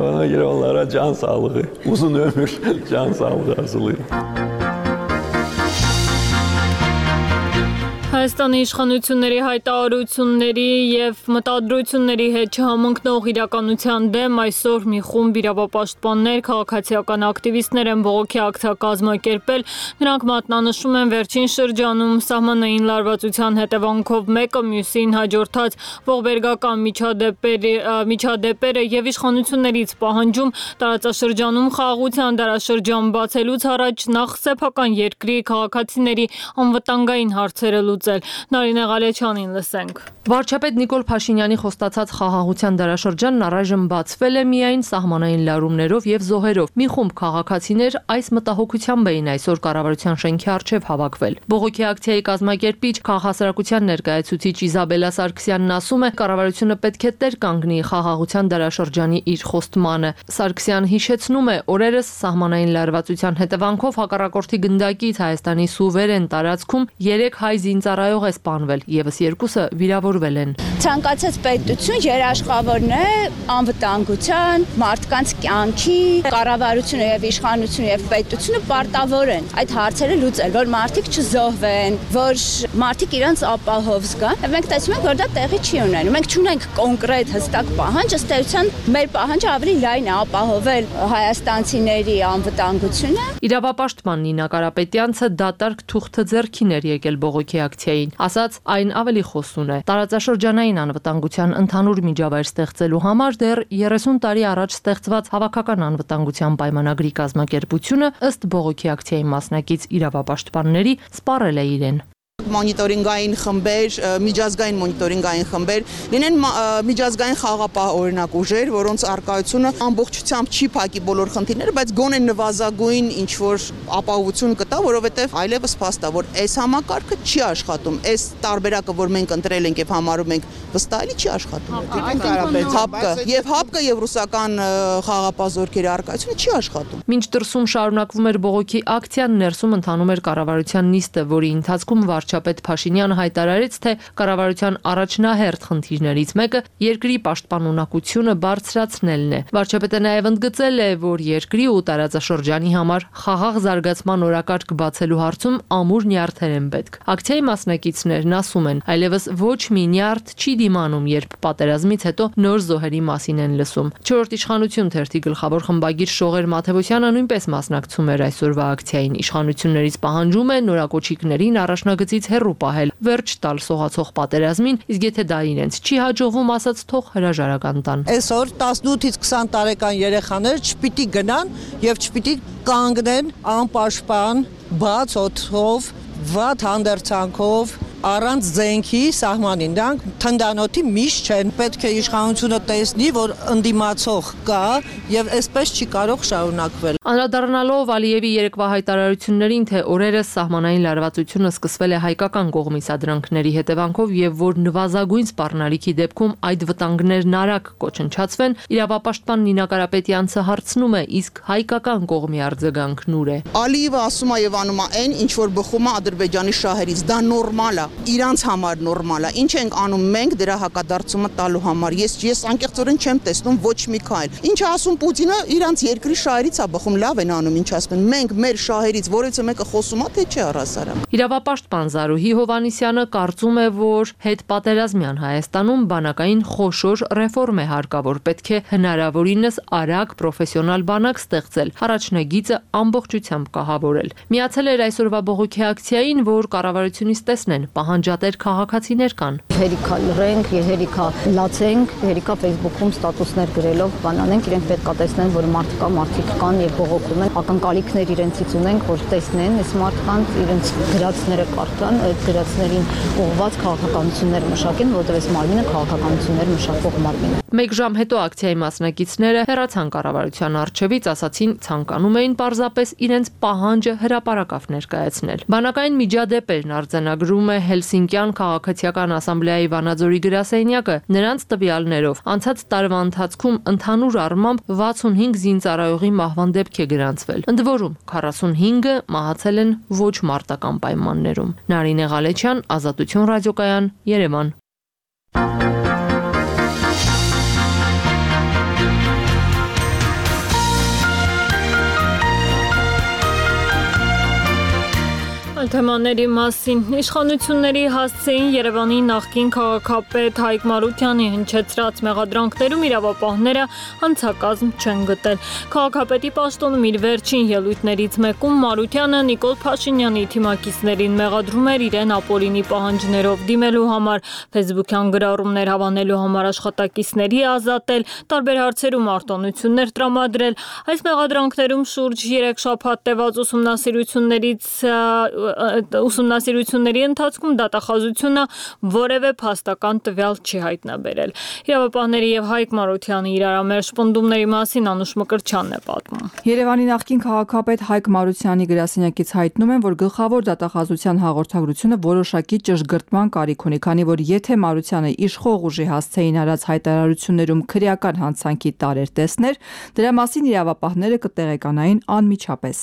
Ona görə onlara can sağlığı, uzun ömür, can sağlığı arzulayıram. Հայաստանի իշխանությունների հայտարարությունների եւ մտադրությունների հետ չհամընկնող իրականության դեմ այսօր մի խումբ իրավապաշտպաններ, քաղաքացիական ակտիվիստներ են բողոքի ակցիա կազմակերպել։ Նրանք մատնանշում են վերջին շրջանում սահմանային լարվածության հետևանքով մեկը մյուսին հաջորդած ողբերգական միջադեպերի միջադեպերը եւ իշխանություններից պահանջում տարածաշրջանում խաղաղության դարաշրջան բացելուց առաջ նախ սեփական երկրի քաղաքացիների անվտանգային հարցերը լուծել։ Նարինե Ղալեչյանին լսենք։ Վարչապետ Նիկոլ Փաշինյանի խոստացած խաղաղության դարաշրջանն առայժմ բացվել է միայն սահմանային լարումներով եւ զոհերով։ Մի խումբ քաղաքացիներ այս մտահոգությամբ էին այսօր կառավարության շենքի առջև հավաքվել։ Բողոքի ակցիայի կազմակերպիչ քաղաքասարակության ներկայացուցիչ Իզաբելա Սարգսյանն ասում է, կառավարությունը պետք է տեր կանգնի խաղաղության դարաշրջանի իր խոստմանը։ Սարգսյան հիշեցնում է, օրերս սահմանային լարվածության հետևանքով հակառակորդի գնդակից Հայաստանի սուվերեն տարածքում երեք հայ զինծառայող է սպանվել, եւս երկուսը վիրավորվել են։ Ցանկացած պետություն երաշխավորն է անվտանգության, մարդկանց կյանքի, կառավարությունը եւ իշխանությունը եւ պետությունը պարտավոր են այդ հարցերը լուծել, որ մարդիկ չզոհվեն, որ մարդիկ իրենց ապահով զգան։ Մենք տեսնում ենք, որ դա տեղի չի ունենում։ Մենք չունենք կոնկրետ հստակ պահանջ, ըստ էության մեր պահանջը ավելի լայն է ապահովել հայաստանցիների անվտանգությունը։ Իրավապաշտպան Նինա Կարապետյանցը դատարկ թուղթը ձեռքին էր եկել բողոքի ակցիայի էին, ասաց այն ավելի խոսուն է։ Տարածաշրջանային անվտանգության ընդհանուր միջավայր ստեղծելու համար դեռ երեսուն տարի առաջ ստեղծված հավաքական անվտանգության պայմանագրի կազմակերպությունը ըստ բողոքի ակցիայի մասնակից իրավապաշտպանների սպառել է իրեն։ Մոնիտորինգային խմբեր, միջազգային մոնիտորինգային խմբեր, լինեն միջազգային խաղապահ օրինակ ուժեր, որոնց արկայությունը ամբողջությամբ չի փակի բոլոր խնդիրները, բայց գոնե նվազագույն ինչ որ ապահովություն կտա, որովհետև այլևս փաստ է, որ այս համակարգը չի աշխատում, այս տարբերակը, որ մենք ընտրել ենք եւ համարում ենք վստահելի, չի աշխատում։ Հապկը եւ հապկը եւ ռուսական խաղապահ զորքերի արկայությունը չի աշխատում։ Մինչ դրսում շարունակվում էր բողոքի ակցիան, ներսում ընթանում էր կառավարության նիստը, որի ընթացքում վարչապետ Փաշինյանը հայտարարեց, թե կառավարության առաջնահերթ խնդիրներից մեկը երկրի պաշտպանունակությունը բարձրացնելն է։ Վարչապետը նաև ընդգծել է, որ երկրի ու տարածաշրջանի համար խաղաղ զարգացման օրակարգ բացելու հարցում ամուր նյարդեր են պետք։ Ակցիայի մասնակիցներն ասում են, այլևս ոչ մի նյարդ չի դիմանում, երբ պատերազմից հետո նոր զոհերի մասին են լսում։ Չորրորդ իշխանություն թերթի գլխավոր խմբագիր Շողեր Մաթևոսյանը նույնպես մասնակցում էր այսօրվա ակցիային։ Իշխանություններից պահանջում է նորակոչիկներին առաջնագծից հեռու պահել, վերջ տալ սողացող պատերազմին, իսկ եթե դա իրենց չի հաջողվում, ասած թող հրաժարական տան։ Այսօր տասնութից քսան տարեկան երեխաները չպիտի գնան եւ չպիտի կանգնեն անպաշտպան, բաց օդով, վատ հանդերձանքով, առանց զենքի սահմանին, դրանք թնդանոթի միշտ չեն, պետք է իշխանությունը տեսնի, որ ընդդիմացող կա եւ այսպես չի կարող շարունակվել։ Անդրադառնալով Ալիևի երեկվա հայտարարություններին, թե օրերս սահմանային լարվածությունը սկսվել է հայկական կողմի սադրանքների հետևանքով եւ որ նվազագույն սպառնալիքի դեպքում այդ վտանգներն արագ կոչնչացվեն, իրավապաշտպան Նինա Կարապետյանցը հարցնում է, իսկ հայկական կողմի արձագանքն ուր է։ Ալիևը ասում է եւ անում է այն, ինչ որ բխում է Ադրբեջանի շահերից, դա նորմալ է, իրանց համար նորմալ է։ Ինչ ենք անում մենք դրա հակադարձումը տալու համար։ Ես ես անկեղծորեն չեմ տեսնում ոչ մի քայլ։ Ինչ է ասում Պուտինը, իրանց երկրի շահերից է բխում, լավ են անում, ինչ ասում են։ Մենք մեր շահերից որևէ մեկը խոսում է, թե չէ առասարակ։ Իրավապաշտպան Զարուհի Հովհաննիսյանը կարծում է, որ հետպատերազմյան Հայաստանում բանակային խոշոր ռեֆորմ է հարկավոր, պետք է հնարավորինս արագ պրոֆեսիոնալ բանակ ստեղծել, առաջնագիծը ամբողջությամբ կահավորել։ Միացել էր այսօրվա բողոքի ակցիային, որ կառավարությունից տեսնեն պահանջատեր քաղաքացիներ կան։ Հերիքա լրենք, հերիքա լացենք, հերիքա Facebook-ում ստատուսներ գրելով բանանենք, իրենք պետք է տեսնեն, որ մարդ կա, մարդիկ կան եւ բողոքում են, ակնկալիքներ իրենցից ունենք, որ տեսնեն այս մարդկանց, իրենց գրածները կարդան, այդ գրածներին ուղղված քաղաքականություններ մշակեն, որովհետեւ այս մարմինը քաղաքականություններ մշակող մարմին է։ Մեկ ժամ հետո ակցիայի մասնակիցները հեռացան կառավարության առջևից, ասացին ցանկանում էին պարզապես իրենց պահանջը հրապարակավ ներկայացնել։ Բանակային միջադեպերն արձանագրում է Հելսինկյան քաղաքացիական ասամբլեայի Վանաձորի գրասենյակը, նրանց տվյալներով անցած տարվա ընթացքում ընդհանուր առմամբ վաթսունհինգ զինծառայողի մահվան դեպք է գրանցվել։ Ընդ որում քառասունհինգը մահացել են ոչ մարտական պայմաններում։ Նարինե Ղալեչյան, Ազատություն ռադիոկայան, Երևան։ Թեմաների մասին իշխանությունների հասցեին Երևանի նախկին քաղաքապետ Հայկ Մարությանի հնչեցրած մեղադրանքներում իրավապահները հանցակազմ չեն գտել։ Քաղաքապետի պաշտոնում իր վերջին ելույթներից մեկում Մարությանը Նիկոլ Փաշինյանի թիմակիցներին մեղադրում էր իրեն ապօրինի պահանջներով դիմելու համար, ֆեյսբուքյան գրառումներ հավանելու համար աշխատակիցների ազատել, տարբեր հարցերում արտոնություններ տրամադրել։ Այս մեղադրանքներում շուրջ երեք շաբաթ տևած ուսումնասիրություններից ուսումնասիրությունների ընթացքում դատախազությունը որևէ փաստական տվյալ չի հայտնաբերել։ Իրավապահների եւ Հայկ Մարությանի իրարամերժ պնդումների մասին Անուշ Մկրտչյանն է պատմում։ Երևանի նախկին քաղաքապետ Հայկ Մարությանի գրասենյակից հայտնում են, որ գլխավոր դատախազության հաղորդագրությունը որոշակի ճշգրտման կարիք ունի, քանի որ եթե Մարությանը իշխող ուժի հասցեին արած հայտարարություններում քրեական հանցանքի տարեր տեսներ, դրա մասին իրավապահները կտեղեկանային անմիջապես։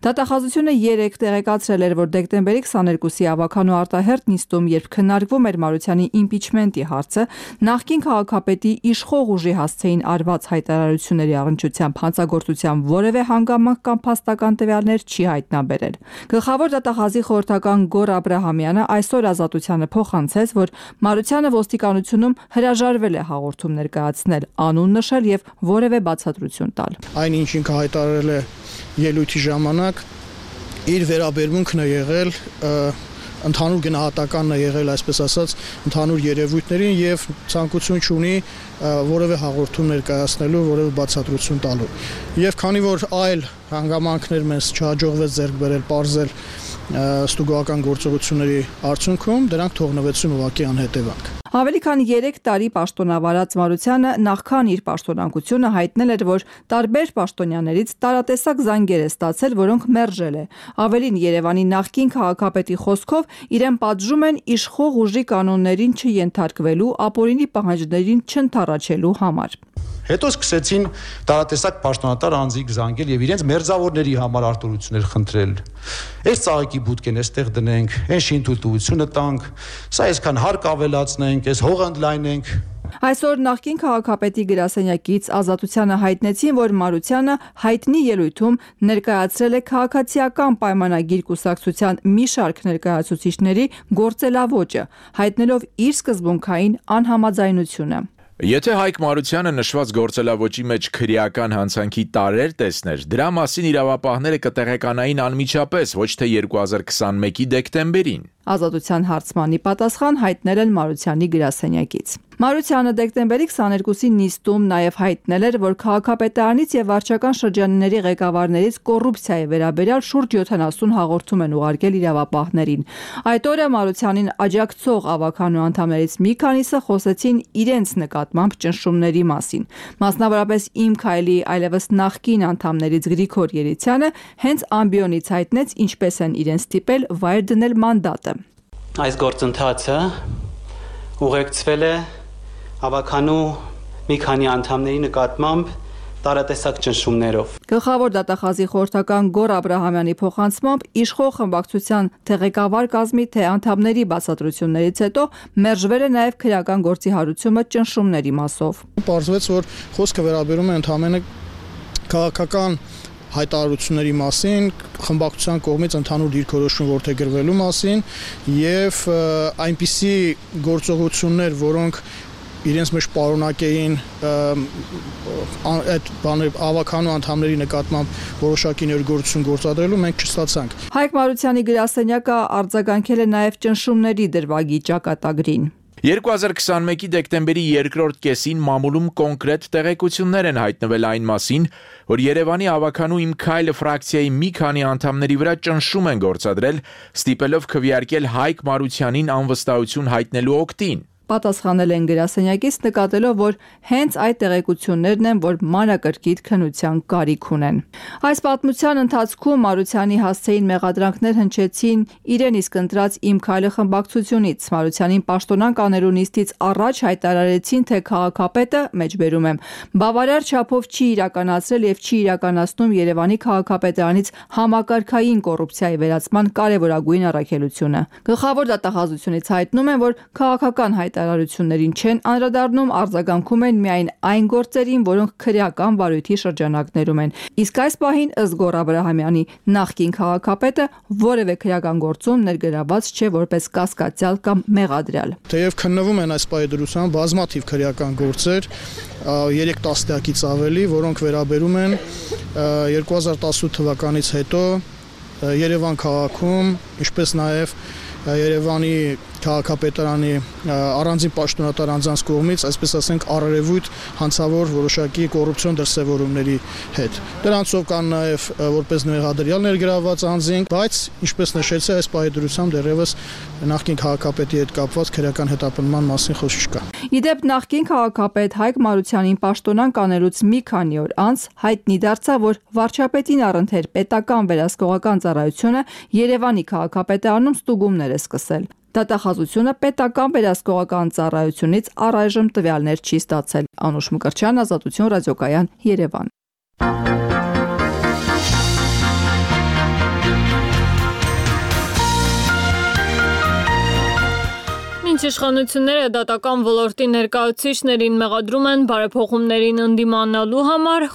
Դատախազությունը երեք տեղեկացրել էր, որ դեկտեմբերի քսաներկուսի ավագան ու արտահերթ նիստում, երբ քննարկվում էր Մարությանի իմպիչմենտի հարցը, նախկին քաղաքապետի իշխող ուժի հասցեին արված հայտարարությունների առնչությամբ հանցագործության որևէ հանգամանք կամ փաստական տվյալներ չի հայտնաբերել։ Գլխավոր դատախազի խորհրդական Գոր Աբրահամյանը այսօր Ազատությանը փոխանցեց, որ Մարությանը ոստիկանությունում հրաժարվել է հաղորդում ներկայացնել, անուն նշել եւ որևէ բացատրություն տալ։ Այն ինչ ինքը հայտարարել է ելույթի ժամանակ իր վերաբերմունքն է եղել ընդհանուր գնահատականն է եղել, այսպես ասած, ընդհանուր երևույթներին եւ ցանկություն չունի որևէ հաղորդում ներկայացնելու, որևէ բացատրություն տալու։ Եվ քանի որ այլ հանգամանքներ մեզ չհաջողվեց ձեռք բերել, պարզել ստուգողական գործողությունների արդյունքում, դրանք թողնվեցին ուղղակի անհետևանք։ Ավելի քան երեք տարի պաշտոնավարած Մարությանը նախքան իր պաշտոնակությունը հայտնել էր, որ տարբեր պաշտոնյաներից տարատեսակ զանգեր է ստացել, որոնք մերժել է։ Ավելին, Երևանի նախկին քաղաքապետի խոսքով իրեն պատժում են իշխող ուժի կանոններին չենթարկվելու, ապօրինի պահանջներին չընդառաջելու համար։ Հետո սկսեցին տարատեսակ պաշտոնատար անձիկ զանգել եւ իրենց մերձավորների համար արտոնություններ խնդրել։ Այս ծաղիկի բուտկեն էստեղ դնենք, այն շինթույլտվությունը տանք, սա այսքան հարկ ավելացնենք, այս հողը ընդլայնենք։ Այսօր նախկին քաղաքապետի գրասենյակից Ազատությանը հայտնեցին, որ Մարությանը հայտնի ելույթում ներկայացրել է քաղաքացիական պայմանագիր կուսակցության մի շարք ներկայացուցիչների գործելավոճը, հայտնելով իր սկզբունքային անհամաձայնությունը։ Եթե Հայկ Մարությանը նշված գործելավոճի մեջ քրեական հանցանքի տարեր տեսներ, դրա մասին իրավապահները կտեղեկանային անմիջապես, ոչ թե երկու հազար քսանմեկի դեկտեմբերին։ Ազատության հարցմանի պատասխան հայտնել են Մարությանի գրասենյակից։ Մարությանը դեկտեմբերի քսաներկուսի նիստում նաև հայտնել էր, որ քաղաքապետարանից եւ վարչական շրջանների ղեկավարներից կոռուպցիայի վերաբերյալ շուրջ յոթանասուն հաղորդում են ուղարկել իրավապահներին։ Այդ օրը Մարությանին աջակցող ավականու անդամներից մի քանիսը խոսեցին իրենց նկատմամբ ճնշումների մասին։ Մասնավորապես Իմ քայլի այլևս նախկին անդամներից Գրիգոր Երիցյանը հենց ամբիոնից հայտնեց, ինչպես են իրեն ստիպել վայր դնել մանդատը։ Այս գործընթացը ուղեկցվել է ավականու մի քանի անդամների նկատմամբ տարատեսակ ճնշումներով։ Գլխավոր դատախազի խորհրդական Գոռ Աբրահամյանի փոխանցմամբ իշխող խմբակցության թե ղեկավար կազմի, թե անդամների բացատրություններից հետո մերժվել է նաև քրեական գործի հարուցումը ճնշումների մասով։ Պարզվեց, որ խոսքը վերաբերում է ընդհանրապես քաղաքական հայտարարությունների մասին, խմբակցության կողմից ընդհանուր դիրքորոշում որդեգրվելու մասին եւ այնպիսի գործողություններ, որոնք իրենց մեջ պարունակեին այդ բաներ ավականու անդամների նկատմամբ որոշակի ներգործություն գործադրելու, մենք չստացանք։ Հայկ Մարությանի գրասենյակը արձագանքել է նաև ճնշումների դրվագի ճակատագրին։ երկու հազար քսանմեկի դեկտեմբերի երկրորդ կեսին մամուլում կոնկրետ տեղեկություններ են հայտնվել այն մասին, որ Երևանի ավականու Իմ քայլը ֆրակցիայի մի քանի անդամների վրա ճնշում են գործադրել, ստիպելով քվեարկել Հայկ Մարությանին անվստահություն հայտնելու օգտին։ Պատասխանել են գրասենյակից, նկատելով, որ հենց այդ տեղեկություններն են, որ մանրակրկիտ քննության կարիք ունեն։ Այս պատմության ընթացքում Մարությանի հասցեին մեղադրանքներ հնչեցին իրեն իսկ ընտրած Իմ քայլը խմբակցությունից։ Մարությանին պաշտոնանկ անելու նիստից առաջ հայտարարեցին, թե քաղաքապետը, մեջբերում եմ, բավարար չափով չի իրականացրել եւ չի իրականացնում Երևանի քաղաքապետարանից համակարգային կոռուպցիայի վերացման կարևորագույն առաքելությունը։ Գլխավոր դատախազությունից հայտնում են, որ քաղաքական հայտարարություններին չեն անդրադառնում, արձագանքում են միայն այն գործերին, որոնք քրեական վարույթի շրջանակներում են։ Իսկ այս պահին ըստ Գոռ Աբրահամյանի նախկին քաղաքապետը որևէ քրեական գործում ներգրավված չէ որպես կասկածյալ կամ մեղադրյալ։ Թեև քննվում են այս պահի դրությամբ բազմաթիվ քրեական գործեր, երեք տասնյակից ավելի, որոնք վերաբերում են երկու հազար տասնութ թվականից հետո Երևան քաղաքում, ինչպես նաև Երևանի քաղաքապետարանի առանձին պաշտոնատար անձանց կողմից, այսպես ասենք, առերևույթ հանցավոր որոշակի կոռուպցիոն դրսևորումների հետ։ Դրանցով կան նաև որպես մեղադրյալ ներգրավված անձինք, բայց ինչպես նշեցի, այս պահի դրությամբ դեռևս նախկին քաղաքապետի հետ կապված քրեական հետապնդման մասին խոսք չկա։ Իդեպ նախկին քաղաքապետ Հայկ Մարությանին պաշտոնանկ անելուց մի քանի օր անց հայտնի դարձավ, որ վարչապետին առընթեր պետական վերահսկողական ծառայությունը Երևանի քաղաքապետարանում ստուգումներ է սկսել։ Դատախազությունը պետական վերահսկողական ծառայությունից առայժմ տվյալներ չի ստացել։ Անուշ Մկրտչյան, Ազատություն ռադիոկայան, Երևան։ Մինչ իշխանությունները դատական ոլորտի ներկայացուցիչներին մեղադրում են բարեփոխումներին ընդդիմանալու համար,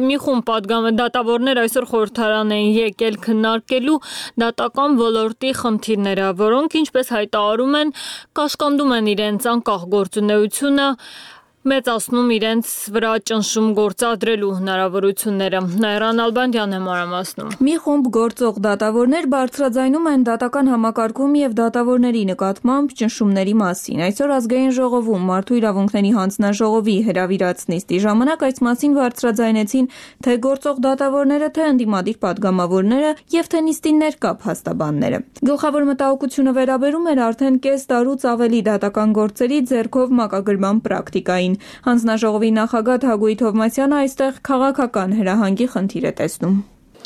մի խումբ պատգամը դատավորներ այսօր խորհրդարան են եկել քննարկելու դատական ոլորտի խնդիրները, որոնք, ինչպես հայտարարում են, կաշկանդում են իրենց անկախ գործունեությունը, մեծացնում իրենց վրա ճնշում գործադրելու հնարավորությունները։ Նաիրան Ալբանդյանն է մանրամասնում։ Մի խումբ գործող դատավորներ բարձրաձայնում են դատական համակարգում եւ դատավորների նկատմամբ ճնշումների մասին։ Այսօր ազգային ժողովում Մարդու իրավունքների հանձնաժողովի հրավիրած նիստի ժամանակ այս մասին բարձրաձայնեցին թե գործող դատավորները, թե ընդդիմադիր падգամավորները եւ թե նիստի ներկա փաստաբանները։ Գլխավոր մտահոգությունը վերաբերում էր արդեն կես տարուց ավելի դատական գործերի ձեռքով մակագրման պրակտիկային։ Հանձնաժողովի նախագահ Թագուհի Թովմասյանը այստեղ քաղաքական հրահանգի խնդիր է տեսնում։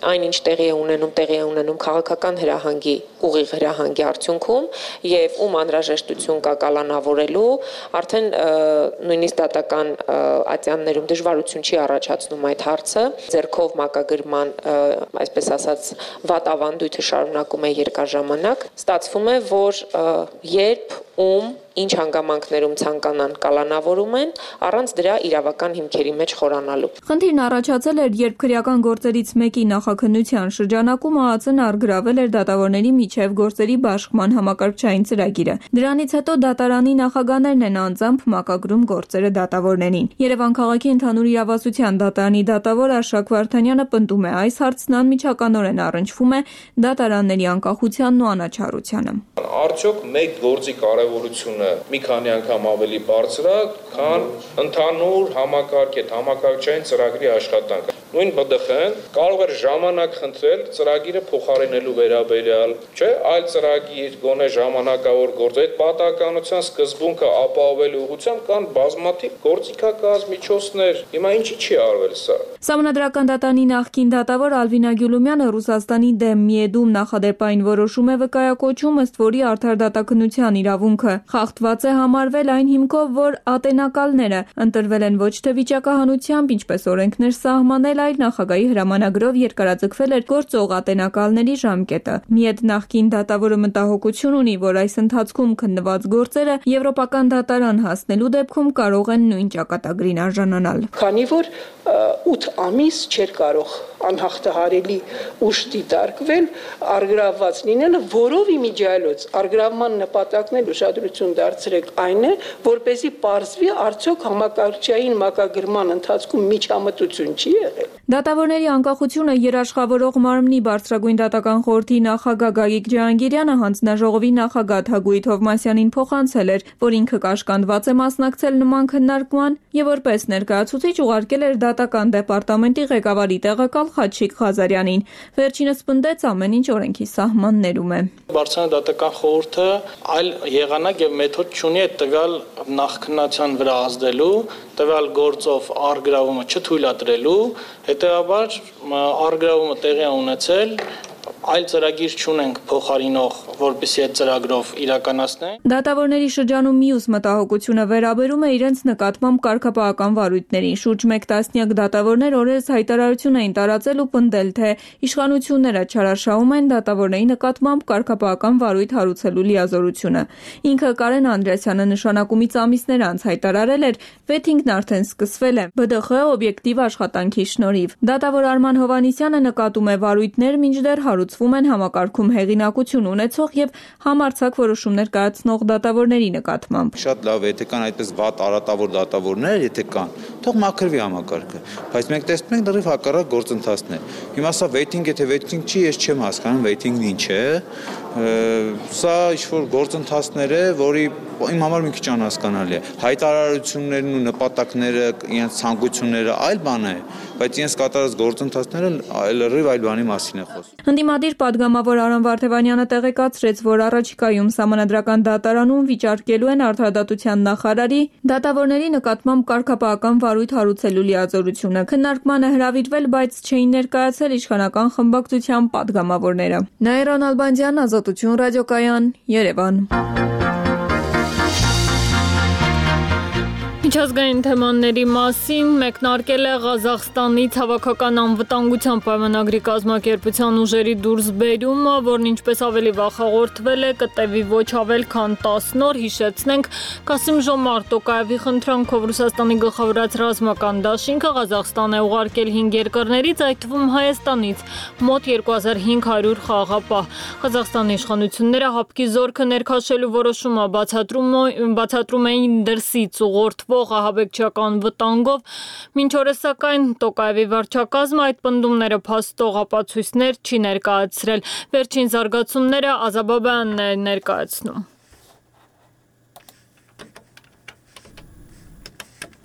Այնինչ տեղի է ունենում, տեղի է ունենում քաղաքական հրահանգի, ուղիղ հրահանգի արդյունքում եւ ում անհրաժեշտություն կա կալանավորելու, արդեն նույնիսկ դատական ատյաններում դժվարություն չի առաջացնում այդ հարցը, ձեռքով մակագրման, այսպես ասած, վատ ավանդույթը շարունակում է երկար ժամանակ, ստացվում է, որ երբ ում ինչ հանգամանքներում ցանկանան կալանավորում են, առանց դրա իրավական հիմքերի մեջ խորանալու։ Խնդիրն առաջացել էր, երբ քրեական գործերից մեկի նախաքննության շրջանակում ԱԱԾ-ն առգրավել էր դատավորների միջև գործերի բաշխման համակարգչային ծրագիրը։ Դրանից հետո դատարանի նախագահներն են անձամբ մակագրում գործերը դատավորներին։ Երևան քաղաքի ընդհանուր իրավասության դատարանի դատավոր Արշակ Վարդանյանը պնդում է, այս հարցն անմիջականորեն առնչվում է դատարանների անկախությանն ու անաչառությանը։ Արդյոք մեկ գործի կարևորությունը մի քանի անգամ ավելի բարձր է, քան ընդհանուր համակարգ այդ համակարգչային ծրագրի աշխատանքը։ Նույն Բ Դ Խ-ն կարող էր ժամանակ խնդրել ծրագիրը փոխարինելու վերաբերյալ, չէ, այլ ծրագիր, գոնե ժամանակավոր գործ, այդ պատահականության սկզբունքը ապահովելու ուղղությամբ կան բազմաթիվ գործիքակազմ միջոցներ։ Հիմա ինչի՞ չի արվել սա։ Սահմանադրական դատարանի նախկին դատավոր Ալվինա Գյուլումյանը Ռուսաստանի դեմ Միեդում նախադեպային որոշում է վկայակոչում, ըստ որի արդար դատաքննության իրավունքը խախտված է համարվել այն հիմքով, որ ատենակալները ընտրվել են ոչ թե վիճակահանությամբ, ինչպես օրենքներ սահմանել, այլ նախագահի հրամանագրով երկարաձգվել էր գործող ատենակալների ժամկետը։ Միեդ նախկին դատավորը մտահոգություն ունի, որ այս ընթացքում քննված գործերը եվրոպական դատարան հասնելու դեպքում կարող են նույն ճակատագրին արժանանալ։ Քանի որ ութ ամիս չէր կարող անհաղթահարելի ուժ դիտարկվել, առգրավված լինելը, որով իմիջիայլոց առգրավման նպատակն էլ ուշադրություն դարձրեք այն է, որպեսզի պարզվի արդյոք համակարգչային մակագրման ընթացքում միջամտություն չի եղել։ Դատավորների անկախությունը երաշխավորող մարմնի բարձրագույն դատական խորհրդի նախագահ Գագիկ Ջահանգիրյանը հանձնաժողովի նախագահ Թագուհի Թովմասյանին փոխանցել էր, որ ինքը կաշկանդված է մասնակցել նման քննարկման եւ որպես ներկայացուցիչ ուղարկել էր դատական դեպարտամենտի ղեկավարի տեղակալ Խաչիկ Ղազարյանին։ Վերջինս պնդեց ամեն ինչ օրենքի սահմաններում է։ Բարձրային դատական խորհուրդը այլ եղանակ եւ մեթոդ չունի այդ տվյալ նախքննության վրա ազդելու, տվյալ գործով առգրավումը չթույլատրելու, հետեւաբար առգրավումը տեղի ունեցել, այլ ծրագիր չունենք փոխարինող, որպեսզի այդ ծրագրով իրականացնենք։ Դատավորների շրջանում մյուս մտահոգությունը վերաբերում է իրենց նկատմամբ կարգապահական վարույթներին։ Շուրջ մեկ տասնյակ դատավորներ օրերս հայտարարություն էին տարածել ու պնդել, թե իշխանությունները չարաշահում են դատավորների նկատմամբ կարգապահական վարույթ հարուցելու լիազորությունը։ Ինքը Կարեն Անդրեասյանը նշանակումից ամիսներ անց հայտարարել էր, վեթինգն արդեն սկսվել է Բ Դ Խ օբյեկտիվ աշխատանքի շնորհիվ։ Դատավոր Արման Հովհաննիսյանը նկատում է վարույթներ մինչդեռ հարուցվում են համակարգում հեղինակություն ունեցող եւ համարձակ որոշումներ կայացնող դատավորների նկատմամբ։ Շատ լավ է, եթե կան այդպես վատ արատավոր դատավորներ, եթե կան, թող մաքրվի համակարգը, բայց մենք տեսնում ենք դեռ հակառակ գործընթացներ։ Հիմա սա waiting, եթե waiting չի, ես չեմ հասկանում waiting-ն ինչ է։ Սա ինչ-որ գործընթացներ է, որի իմ համար մի քիչ անհասկանալի է։ Հայտարարություններն ու նպատակները, իրենց ցանկությունները այլ բան է, բայց իրենց կատարած գործընթացները լրիվ այլ բանի մասին է խոսում։ Ընդդիմադիր падգամավոր Արամ Վարդևանյանը տեղեկացրեց, որ առաջիկայում Սահմանադրական դատարանում վիճարկելու են արդարադատության նախարարի դատավորների նկատմամբ կարգապահական վարույթ հարուցելու լիազորությունը։ Քննարկմանը հրավիրվել, բայց չէին ներկայացել իշխանական խմբակցության падգամավորները։ Նաիրան Ալբանդյան, Ազատություն ռադիոկայան, Երևան։ Միջազգային թեմաների մասին մեկնարկել է Ղազախստանի ցավոքական անվտանգության պայմանագրի կազմակերպության ուժերի դուրսբերումը, որն ինչպես ավելի վաղ հաղորդվել է, կտևի ոչ ավել քան տասն օր։ Հիշեցնենք, Կասիմ-Ժոմարտ Տոկաևի խնդրանքով Ռուսաստանի գլխավորած ռազմական դաշինքը Ղազախստան է ուղարկել հինգ երկրներից, այդ թվում Հայաստանից, մոտ երկու հազար հինգ հարյուր խաղաղապահ։ Ղազախստանի իշխանությունները հապկի զորքը ներքաշելու որոշումը բացատրում էին դրսից ուղղորդվող կապող ահաբեկչական վտանգով։ Մինչ օրս սակայն Տոկաևի վարչակազմը այդ պնդումները փաստող ապացույցներ չի ներկայացրել։ Վերջին զարգացումները Ազաբաբյանն է ներկայացնում։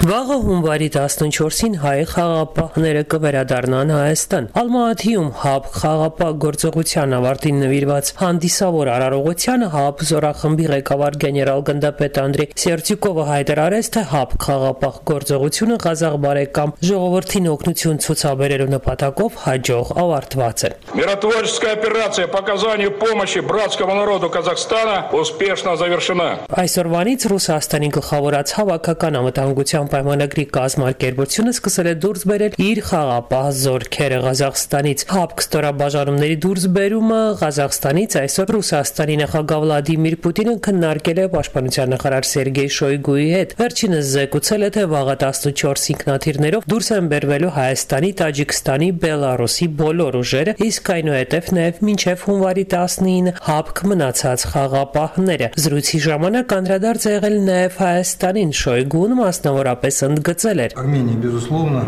Վաղը հունվարի տասնչորսին հայ խաղապահները կվերադառնան Հայաստան։ Ալմատիում ՀԱԲ խաղապահ գործողության ավարտին նվիրված հանդիսավոր արարողությանը ՀԱԲ զորախմբի ղեկավար գեներալ գնդապետ Անդրեյ Սերտյուկովը հայտարարեց, թե ՀԱԲ խաղապահ գործողությունը Ղազախ բարեկամ ժողովրդին օգնություն ցուցաբերելու նպատակով հաջող ավարտված է։ Миротворческая операция по оказанию помощи братскому народу Казахстана успешно завершена։ Այսօրվանից Ռուսաստանի գլխավորած հավաքական անվտանգության պայմանագրի կազմակերպությունը սկսել է դուրս բերել իր խաղապահ զորքերը Ղազախստանից։ ՀԱԲ ստորաբաժանումների դուրսբերումը Ղազախստանից այսօր Ռուսաստանի նախագահ Վլադիմիր Պուտինը քննարկել է պաշտպանության նախարար Սերգեյ Շոյգուի հետ։ Վերջինս զեկուցել է, թե վաղը տասնչորս ինքնաթիռներով դուրս են բերվելու Հայաստանի, Տաջիկստանի, Բելարուսի բոլոր ուժերը, իսկ այնուհետև նաև մինչև հունվարի տասնինը ՀԱԲ մնացած խաղապահները։ Զրույցի ժամանակ անդրադարձ է եղել նաև Հայաստանին։ Շոյգուն մասնավորապես ընդգծել էր. Армения, безусловно,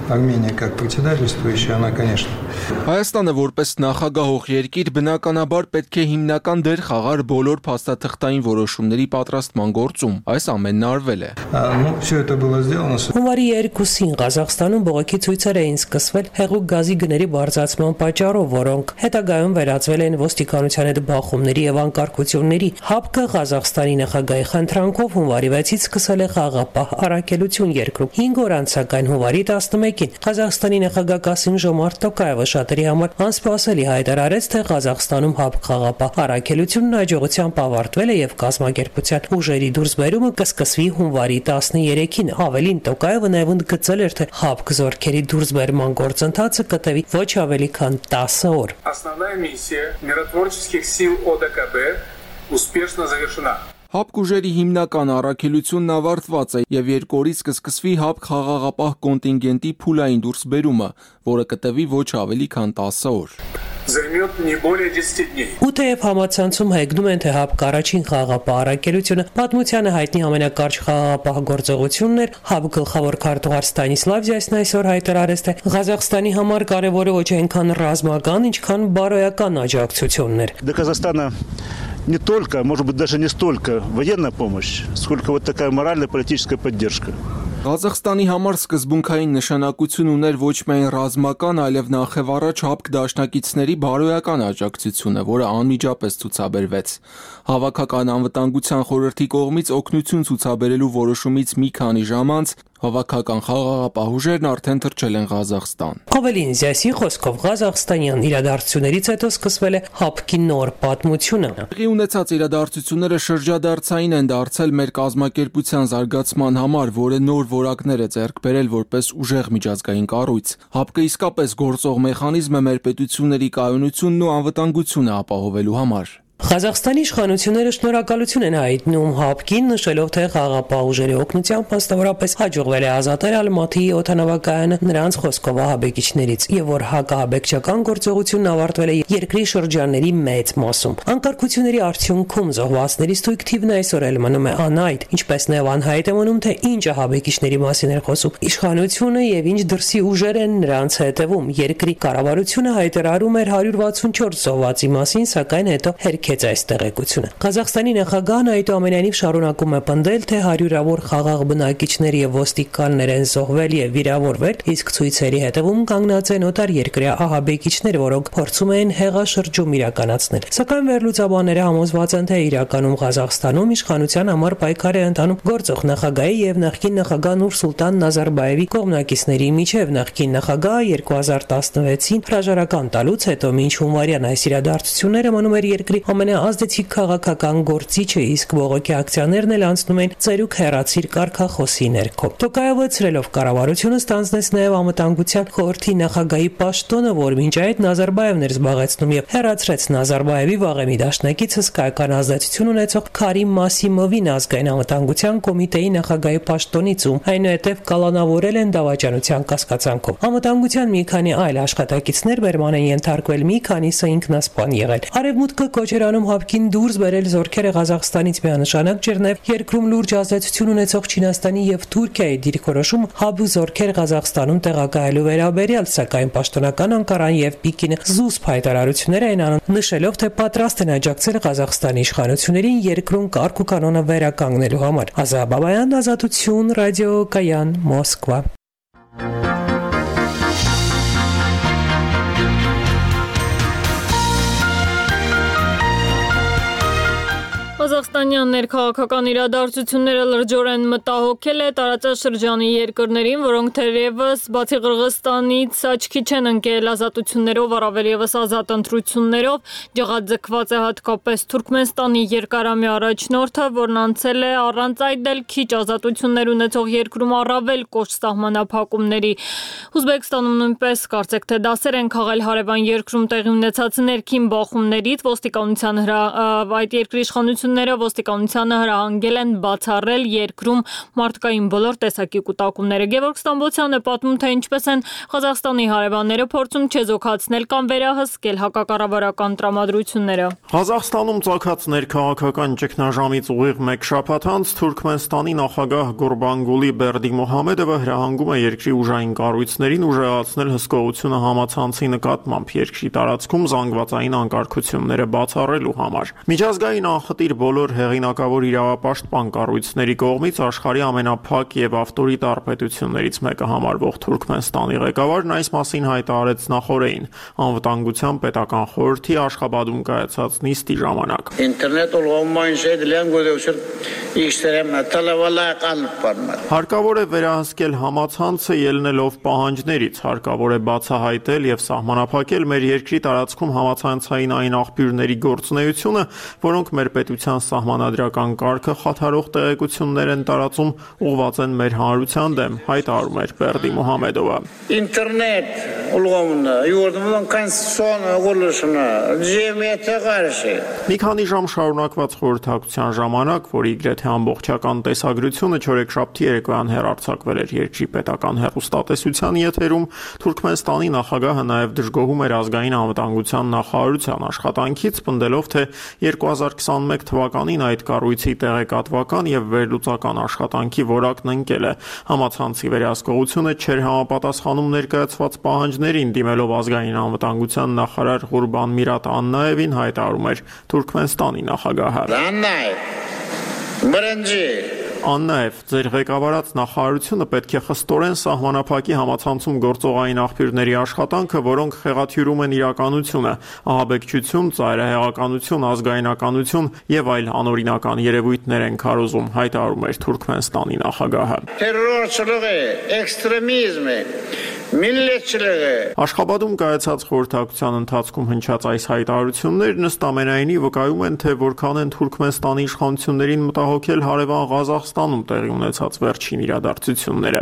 Армения как председательствующая, она, конечно. Հայաստանը որպես նախագահող երկիր բնականաբար պետք է հիմնական դեր խաղար բոլոր փաստաթղթային որոշումների պատրաստման գործում։ Այս ամենն արվել է։ Ну, все это было сделано. Հունվարի երկուսին Ղազախստանում բողոքի ցույցեր էին սկսվել հեղուկ գազի գների բարձրացման պատճառով, որոնք հետագայում վերածվել են ոստիկանության հետ բախումների եւ անկարգությունների։ ՀԱԲԿ Ղազախստանի նախագահի խնդրանքով հունվարի վեցից սկսել է խաղապահ առաքելություն երկրում։ հինգ օր անց սակայն հունվարի տասնմեկին Ղազախստանի նախագահ Կասիմ Ժոմարտ Տոկաևը շատերի համար անսպասելի հայտարարեց, թե Ղազախստանում ՀԱԲ խաղապահ առաքելությունն հաջողությամբ ավարտվել է եւ կազմակերպության ուժերի դուրսբերումը կսկսվի հունվարի տասներեքին։ Ավելին Տոկաևը նաեւ ընդգծել էր, թե ՀԱԲ զորքերի դուրսբերման գործընթացը կտևի ոչ ավելի քան տասը օր։ Основная миссия миротворческих сил ОДКБ успешно завершена։ ՀԱԲ ուժերի հիմնական առաքելությունն ավարտված է եւ երկու օրից կսկսվի ՀԱԲ խաղաղապահ կոնտինգենտի փուլային դուրսբերումը, որը կտևի ոչ ավելի քան տասը օր։ Займет не более десяти дней։ Ու թեև համացանցում հայտնում են, թե ՀԱԲ առաջին խաղապահ առաքելությունը պատմությանը հայտնի ամենակարճ խաղապահ գործողությունն էր, ՀԱԲ գլխավոր քարտուղար Ստանիսլավ Զյասն այսօր հայտարարեց, թե Ղազախստանի համար կարևորը ոչ այնքան ռազմական, ինչքան բարոյական աջակցությունն էր։ До Казахстана не только, может быть, даже не столько военная помощь, сколько вот такая морально-политическая поддержка։ Ղազախստանի համար սկզբունքային նշանակություն ուներ ոչ միայն ռազմական, այլև նախևառաջ ՀԱԲ դաշնակիցների բարոյական աջակցությունը, որը անմիջապես ցուցաբերվեց։ Հավաքական անվտանգության խորհրդի կողմից օգնություն ցուցաբերելու որոշումից մի քանի ժամ անց հավաքական խաղաղապահ ուժերն արդեն թռչել են Ղազախստան։ Ավելին Զյասի խոսքով Ղազախստանյան իրադարձություններից հետո սկսվել է ՀԱԲ-ի նոր պատմությունը։ Տեղի ունեցած իրադարձությունները շրջադարձային են դարձել մեր կազմակերպության զարգացման համար, որը նոր որակներ է ձեռք բերել որպես ուժեղ միջազգային կառույց։ ՀԱԲ-ը իսկապես գործող մեխանիզմ է մեր պետությունների կայունությունն ու անվտանգությունը ապահովելու համար։ Ղազախստանի իշխանությունները շնորհակալություն են հայտնում ՀԱԲ-ին, նշելով, թե խաղապահ ուժերի օգնությամբ մասնավորապես հաջողվել է ազատել Ալմատիի օդանավակայանը նրանց խոսքով ահաբեկիչներից, եւ որ հակահաբեկչական գործողությունն ավարտվել է երկրի շրջանների մեծ մասում։ Անկարգությունների արդյունքում զոհվածների ստույգ թիվն այսօր էլ մնում է անհայտ, ինչպես նաեւ անհայտ է մնում, թե ինչ ահաբեկիչների մասին էր խոսում իշխանությունը եւ ինչ դրսի ուժեր են նրանց հետևում։ Երկրի կառավարությունը հայտարարում էր հարյուր վաթսունչորս զոհվածի մասին, սակայն հետո հերքեց այս տեղեկությունը։ Ղազախստանի նախագահն այդուամենայնիվ շարունակում է պնդել, թե հարյուրավոր խաղաղ բնակիչներ եւ ոստիկաններ են զոհվել եւ վիրավորվել, իսկ ցույցերի հետևում կանգնած են օտար երկրյա ահաբեկիչներ, որոնք փորձում են հեղաշրջում իրականացնել։ Սակայն վերլուծաբանները համոզված են, թե իրականում Ղազախստանում իշխանության համար պայքար է ընթանում գործող նախագահի եւ նախկին նախագահ Նուրսուլտան Նազարբաևի կողմնակիցների միջև։ Նախկին նախագահը երկու հազար տասնվեցին հրաժարական տալուց հետո մինչ հունվարյան այս իրադարձությունները մնում էր երկրի ամենաազդեցիկ քաղաքական գործիչը, իսկ բողոքի ակցիաներն էլ անցնում են ծերուկ հեռացիր կարգախոսի ներքո։ Տոկաևը ցրելով կառավարությունը ստանձնեց նաև անվտանգության խորհրդի նախագահի պաշտոնը, որ մինչ այդ Նազարբաևն էր զբաղեցնում, եւ հեռացրեց Նազարբաևի վաղեմի դաշնակիցը հսկայական ազդեցություն ունեցող Քարիմ Մասիմովին ազգային անվտանգության կոմիտեի նախագահի պաշտոնից, ում այնուհետև կալանավորել են դավաճանության կասկածանքով։ Անվտանգության մի քանի այլ աշխատակիցներ բերման են ենթարկվել, մի քանիսը ինքնասպան եղել։ Արևմուտքը կոչ էր Իրանում հապկին դուրս բերել զորքերը Ղազախստանից միանշանակ ջեռնև երկրում լուրջ ազդեցություն ունեցող Չինաստանի եւ Թուրքիայի դիրքորոշում հապ զորքեր Ղազախստանում տեղակայելու վերաբերյալ, սակայն պաշտոնական Անկարան եւ Պեկինը զուսպ հայտարարություններ են անում, նշելով, թե պատրաստ են աջակցել Ղազախստանի իշխանություններին երկրում կարգ ու կանոնը վերականգնելու համար։ Ազա Բաբայան, Ազատություն, ռադիո Կայան, Մոսկվա։ Ղազախստանյան ներքաղաքական իրադարձությունները լրջորեն մտահոգել է տարածաշրջանի երկրներին, որոնք թերևս բացի Qırğızstanից աչքի չեն ընկել ազատություններով, առավել ևս ազատ ընտրություններով, ջղաձգված է հատկապես Թուրքմենստանի երկարամյա առաջնորդը, որն անցել է առանց այդ էլ քիչ ազատություններ ունեցող երկրում առավել կոշտ սահմանափակումների։ Ուզբեկստանում նույնպես կարծեք թե դասեր են քաղել հարևան երկրում տեղի ունեցած ներքին բախումներից, ոստիկանության այդ երկրի իշխանությունները ոստիկանությանը հրահանգել են բացառել երկրում մարդկային բոլոր տեսակի կուտակումները։ Գևորգ Ստամբոլցյանը պատմում, թե ինչպես են Ղազախստանի հարևանները փորձում չեզոքացնել կամ վերահսկել հակակառավարական տրամադրությունները։ Ղազախստանում ծագած ներքաղաքական ճգնաժամից ուղիղ մեկ շաբաթ անց Թուրքմենստանի նախագահ Գուրբանգուլի Բերդիմուհամեդովը հրահանգում է երկրի ուժային կառույցներին ուժեղացնել հսկողությունը համացանցի նկատմամբ երկրի տարածքում զանգվածային անկարգությունները բացառելու համար։ Միջազգային անխտիր բոլոր հեղինակավոր իրավապաշտպան կառույցների կողմից աշխարհի ամենափակ եւ ավտորիտար պետություններից մեկը համարվող Թուրքմենստանի ղեկավարն այս մասին հայտարարեց նախօրեին անվտանգության պետական խորհրդի Աշխաբադում կայացած նիստի ժամանակ։ Հարկավոր է վերահսկել համացանցը ելնելով պահանջներից, հարկավոր է բացահայտել եւ սահմանափակել մեր երկրի տարածքում համացանցային այն աղբյուրների գործունեությունը, որոնք մեր պետության սահմանադրական կարգը խաթարող տեղեկություններ են տարածում, ուղղված են մեր հանրության դեմ, հայտարարում էր Բերդիմուհամեդովը։ Ինտերնետ ուղղումն յուրդում կոնստիտուցիոն ուղղությունը ջեմիեթը գարշի։ Մի քանի ժամ շարունակված խորհրդակցության ժամանակ, որի իգրեթե ամբողջական տեսագրությունը չորեքշաբթի երեկոյան հեռարձակվել էր երկրի պետական հեռուստատեսության եթերում, Թուրքմենստանի նախագահը նաև դժգոհում էր ազգային անվտանգության նախարարության աշխատանքից, պնդելով, թե երկու հազար քսանմեկ թվականին այդ կառույցի տեղեկատվական եւ վերլուծական աշխատանքի որակն ընկել է։ Համացանցի վերահսկողությունը չէր համապատասխանում ներկայացված պահանջներին, դիմելով ազգային անվտանգության նախարար Ղուրբան Միրատ Աննաևին, հայտարարում էր Թուրքմենստանի նախագահը։ Աննաև, ձեր ղեկավարած նախարարությունը պետք է խստորեն սահմանափակի համացանցում գործող այն աղբյուրների աշխատանքը, որոնք խեղաթյուրում են իրականությունը, ահաբեկչություն, ծայրահեղականություն, ազգայնականություն եւ այլ անօրինական երևույթներ են քարոզում, հայտարարում էր Թուրքմենստանի նախագահը։ Տերորչլուղը, էքստրեմիզմը, միլլետչլուղը։ Աշխաբադում կայացած խորհրդակցության ընթացքում հնչած այս հայտարարություններն ըստ ամենայնի վկայում են, թե որքան են Թուրքմենստանի իշխանություններին մտահոգել հարևան Ղազախստանում տեղի ունեցած վերջին իրադարձությունները։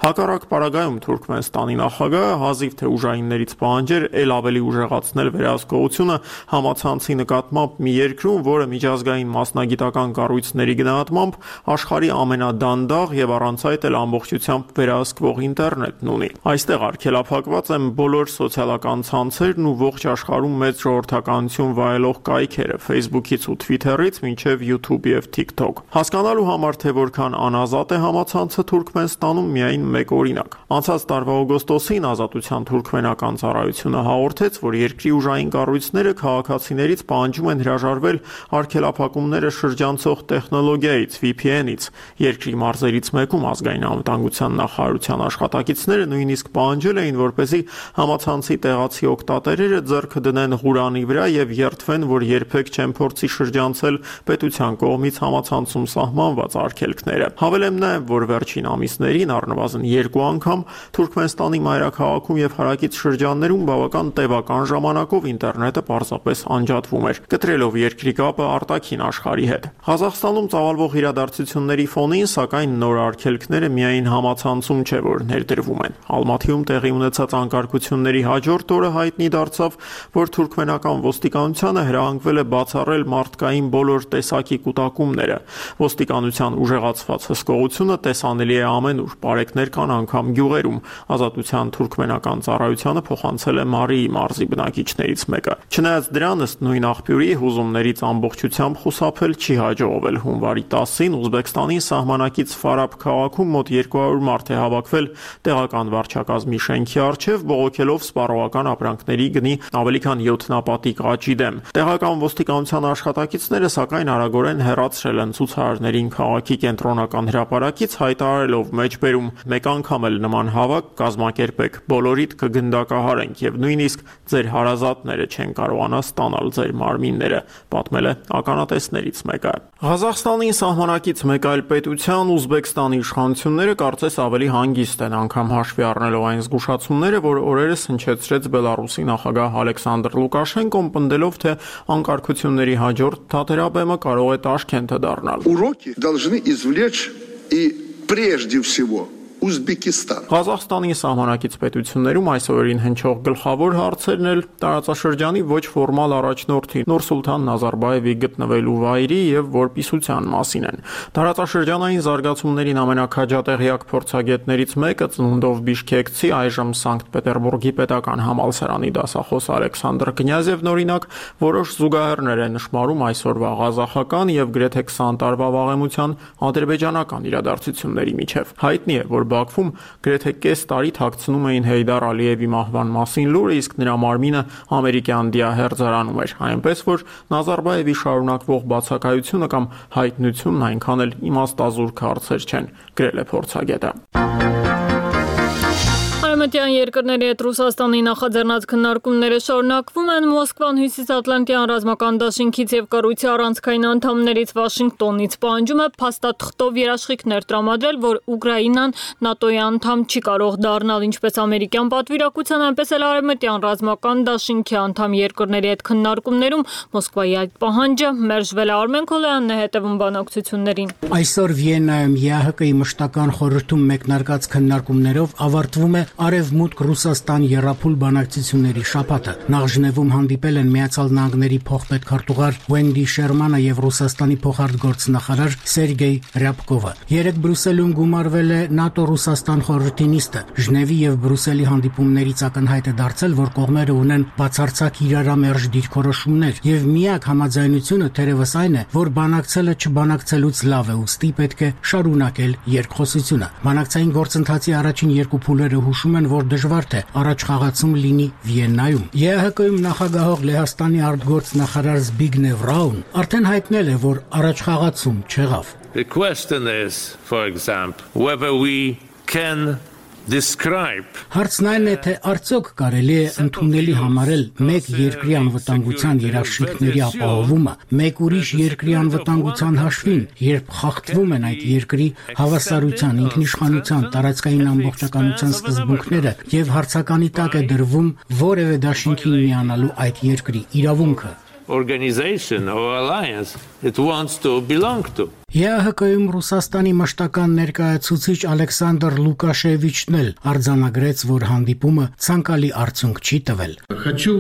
Հակառակ պարագայում Թուրքմենստանի նախագահը հազիվ թե ուժայիններից պահանջեր ել ավելի ուժեղացնել վերահսկողությունը համացանցի նկատմամբ մի երկրում, որը միջազգային մասնագիտական կառույցների գնահատմամբ աշխարհի ամենադանդաղ եւ առանց այդ էլ ամբողջությամբ վերահսկվող ինտերնետն ունի։ Այստեղ արգելափակված են բոլոր սոցիալական ցանցերն ու ողջ աշխարհում մեծ ժողովրդականություն վայելող կայքերը Facebook-ից ու Twitter-ից մինչև YouTube եւ TikTok։ Հասկանալու համար, թե որքան անազատ է համացանցը Թուրքմենստանում, միայն մեկ օրինակ։ Անցած տարվա օգոստոսին Ազատության թուրքմենական ծառայությունը հաղորդեց, որ երկրի ուժային կառույցները քաղաքացիներից պահանջում են հրաժարվել արգելափակումները շրջանցող տեխնոլոգիայից V P N-ից։ Երկրի մարզերից մեկում ազգային անվտանգության նախարարության աշխատակիցները նույնիսկ պահանջել էին, որպեսզի համացանցի տեղացի օգտատերերը ձեռքը դնեն Ղուրանի վրա եւ երդվեն, որ երբեք չեն փորձի շրջանցել պետության կողմից համացանցում սահմանված արգելքները։ Հավելեմ նաեւ, որ վերջին ամիսներին առնվազն երկու անգամ Թուրքմենստանի մայրաքաղաքում եւ հարակից շրջաններում բավական տևական ժամանակով ինտերնետը պարզապես անջատվում էր, կտրելով երկրի կապը արտաքին աշխարհի հետ։ Ղազախստանում ծավալվող իրադարձությունների ֆոնին, սակայն, նոր արգելքները միայն համացանցում չէ, որ ներդրվում են։ Ալմաթի Բաքվում տեղի ունեցած անկարգությունների հաջորդ օրը հայտնի դարձավ, որ թուրքմենական ոստիկանությանը հրահանգվել է բացառել մարդկային բոլոր տեսակի կուտակումները։ Ոստիկանության ուժեղացված հսկողությունը տեսանելի է ամենուր, պարեկներ կան անգամ գյուղերում։ Ազատության թուրքմենական ծառայությանը փոխանցել է Մարիի մարզի բնակիչներից մեկը։ Չնայած դրան, ըստ նույն աղբյուրի, հուզումներից ամբողջությամբ խուսափել չի հաջողվել։ Հունվարի տասին Ուզբեկստանի սահմանակից Ֆարաբ քաղաքում մոտ երկու հարյուր մարդ է հավաքվել տեղական վարչակազմի շենքի առջև, բողոքելով սպառողական ապրանքների գնի ավելի քան յոթնապատիկ աճի դեմ։ Տեղական ոստիկանության աշխատակիցները սակայն արագորեն հեռացրել են ցուցարարներին քաղաքի կենտրոնական հրապարակից, հայտարարելով մեջբերում մեկ անգամ էլ նման հավաք կազմակերպեք, բոլորիդ կգնդակահարենք եւ նույնիսկ ձեր հարազատները չեն կարողանա ստանալ ձեր մարմինները, պատմել է ականատեսներից մեկը։ Ղազախստանի սահմանակից մեկ այլ պետության Ուզբեկստանի իշխանությունները կարծես ավելի հանգիստ են, անգամ հաշվի առնելով այն զգուշացումները, որ օրերս հնչեցրեց Բելարուսի նախագահ Ալեքսանդր Լուկաշենկոն, պնդելով, թե անկարգությունների հաջորդ թատերաբեմը կարող է Տաշքենթը դառնալ։ Уроки должны извлечь и прежде всего Ուզբեկիստան։ Ղազախստանի սահմանակից պետություններում այս օրերին հնչող գլխավոր հարցերն էլ տարածաշրջանի ոչ ֆորմալ առաջնորդի Նուրսուլթան Նազարբաևի գտնվելու վայրի եւ որպիսության մասին են։ Տարածաշրջանային զարգացումներին ամենակաջատեղյակ փորձագետներից մեկը ծնունդով բիշքեկցի, այժմ Սանկտ Պետերբուրգի պետական համալսարանի դասախոս Ալեքսանդր Կնյազևն օրինակ որոշ զուգահեռներ է նշмарում այսօրվա ղազախական եւ գրեթե քսան տարվա վաղեմության ադրբեջանական իրադարձությունների միջև։ Հայտնի է, որ Բաքվում գրեթե կես տարի թաքցնում էին Հեյդար Ալիևի մահվան մասին լուրը, իսկ նրա մարմինը ամերիկյան դիահերձարանում էր, այնպես որ Նազարբաևի շարունակվող բացակայությունը կամ հայտնությունն այնքան էլ իմաստազուրկ հարցեր չեն, գրել է փորձագետը։ Արևմտյան երկրների հետ Ռուսաստանի նախաձեռնած քննարկումները շարունակվում են։ Մոսկվան Հյուսիսատլանտյան ռազմական դաշինքից եւ կառույցի առանցքային անդամներից Վաշինգտոնից պահանջում է փաստաթղթով երաշխիքներ տրամադրել, որ Ուկրաինան ՆԱՏՕ-ի անդամ չի կարող դառնալ, ինչպես ամերիկյան պատվիրակության, այնպես էլ արևմտյան ռազմական դաշինքի անդամ երկրների հետ քննարկումներում Մոսկվայի այդ պահանջը մերժվել է։ Արմեն Քոլյանն է հետևում բանակցություններին։ Այսօր Վիեննայում ԵԱՀԿ-ի մշտական խորհրդում մեկնարկած քննարկումներով ավարտվում է Արևմուտք Ռուսաստան եռափուլ բանակցությունների շաբաթը։ Նախ Ժնևում հանդիպել են Միացյալ Նահանգների փոխպետքարտուղար Վենդի Շերմանը եւ Ռուսաստանի փոխարտգործնախարար Սերգեյ Ռյաբկովը։ Երեկ Բրյուսելում գումարվել է ՆԱՏՕ-Ռուսաստան խորհրդի նիստը։ Ժնևի եւ Բրյուսելի հանդիպումներից ակնհայտ է դարձել, որ կողմերը ունեն բացարձակ իրարամերժ դիրքորոշումներ եւ միակ համաձայնությունը թերևս այն է, որ բանակցելը չբանակցելուց լավ է, ուստի պետք է շարունակել երկխոսությունը։ Բանակցային գործընթացի առաջին երկու փուլերը հուշում են, որ դժվար թե առաջխաղացում լինի Վիեննայում։ ԵԱՀԿ-ում նախագահող Լեհաստանի արտգործնախարար Զբիգնև Ռաուն արդեն հայտնել է, որ առաջխաղացում չեղավ։ The question is, for example, whether we can describe Հարցն այն է, թե արդյոք կարելի է ընդունելի համարել մեկ երկրի անվտանգության երաշխիքների ապահովումը մեկ ուրիշ երկրի անվտանգության հաշվին, երբ խախտվում են այդ երկրի հավասարության, ինքնիշխանության, տարածքային ամբողջականության սկզբունքները եւ հարցականի տակ է դրվում որևէ դաշինքին միանալու այդ երկրի իրավունքը։ Organization or alliance it wants to belong to. ԵԱՀԿ-ում Ռուսաստանի մշտական ներկայացուցիչ Ալեքսանդր Լուկաշևիչն էլ արձանագրեց, որ հանդիպումը ցանկալի արդյունք չի տվել։ Хочу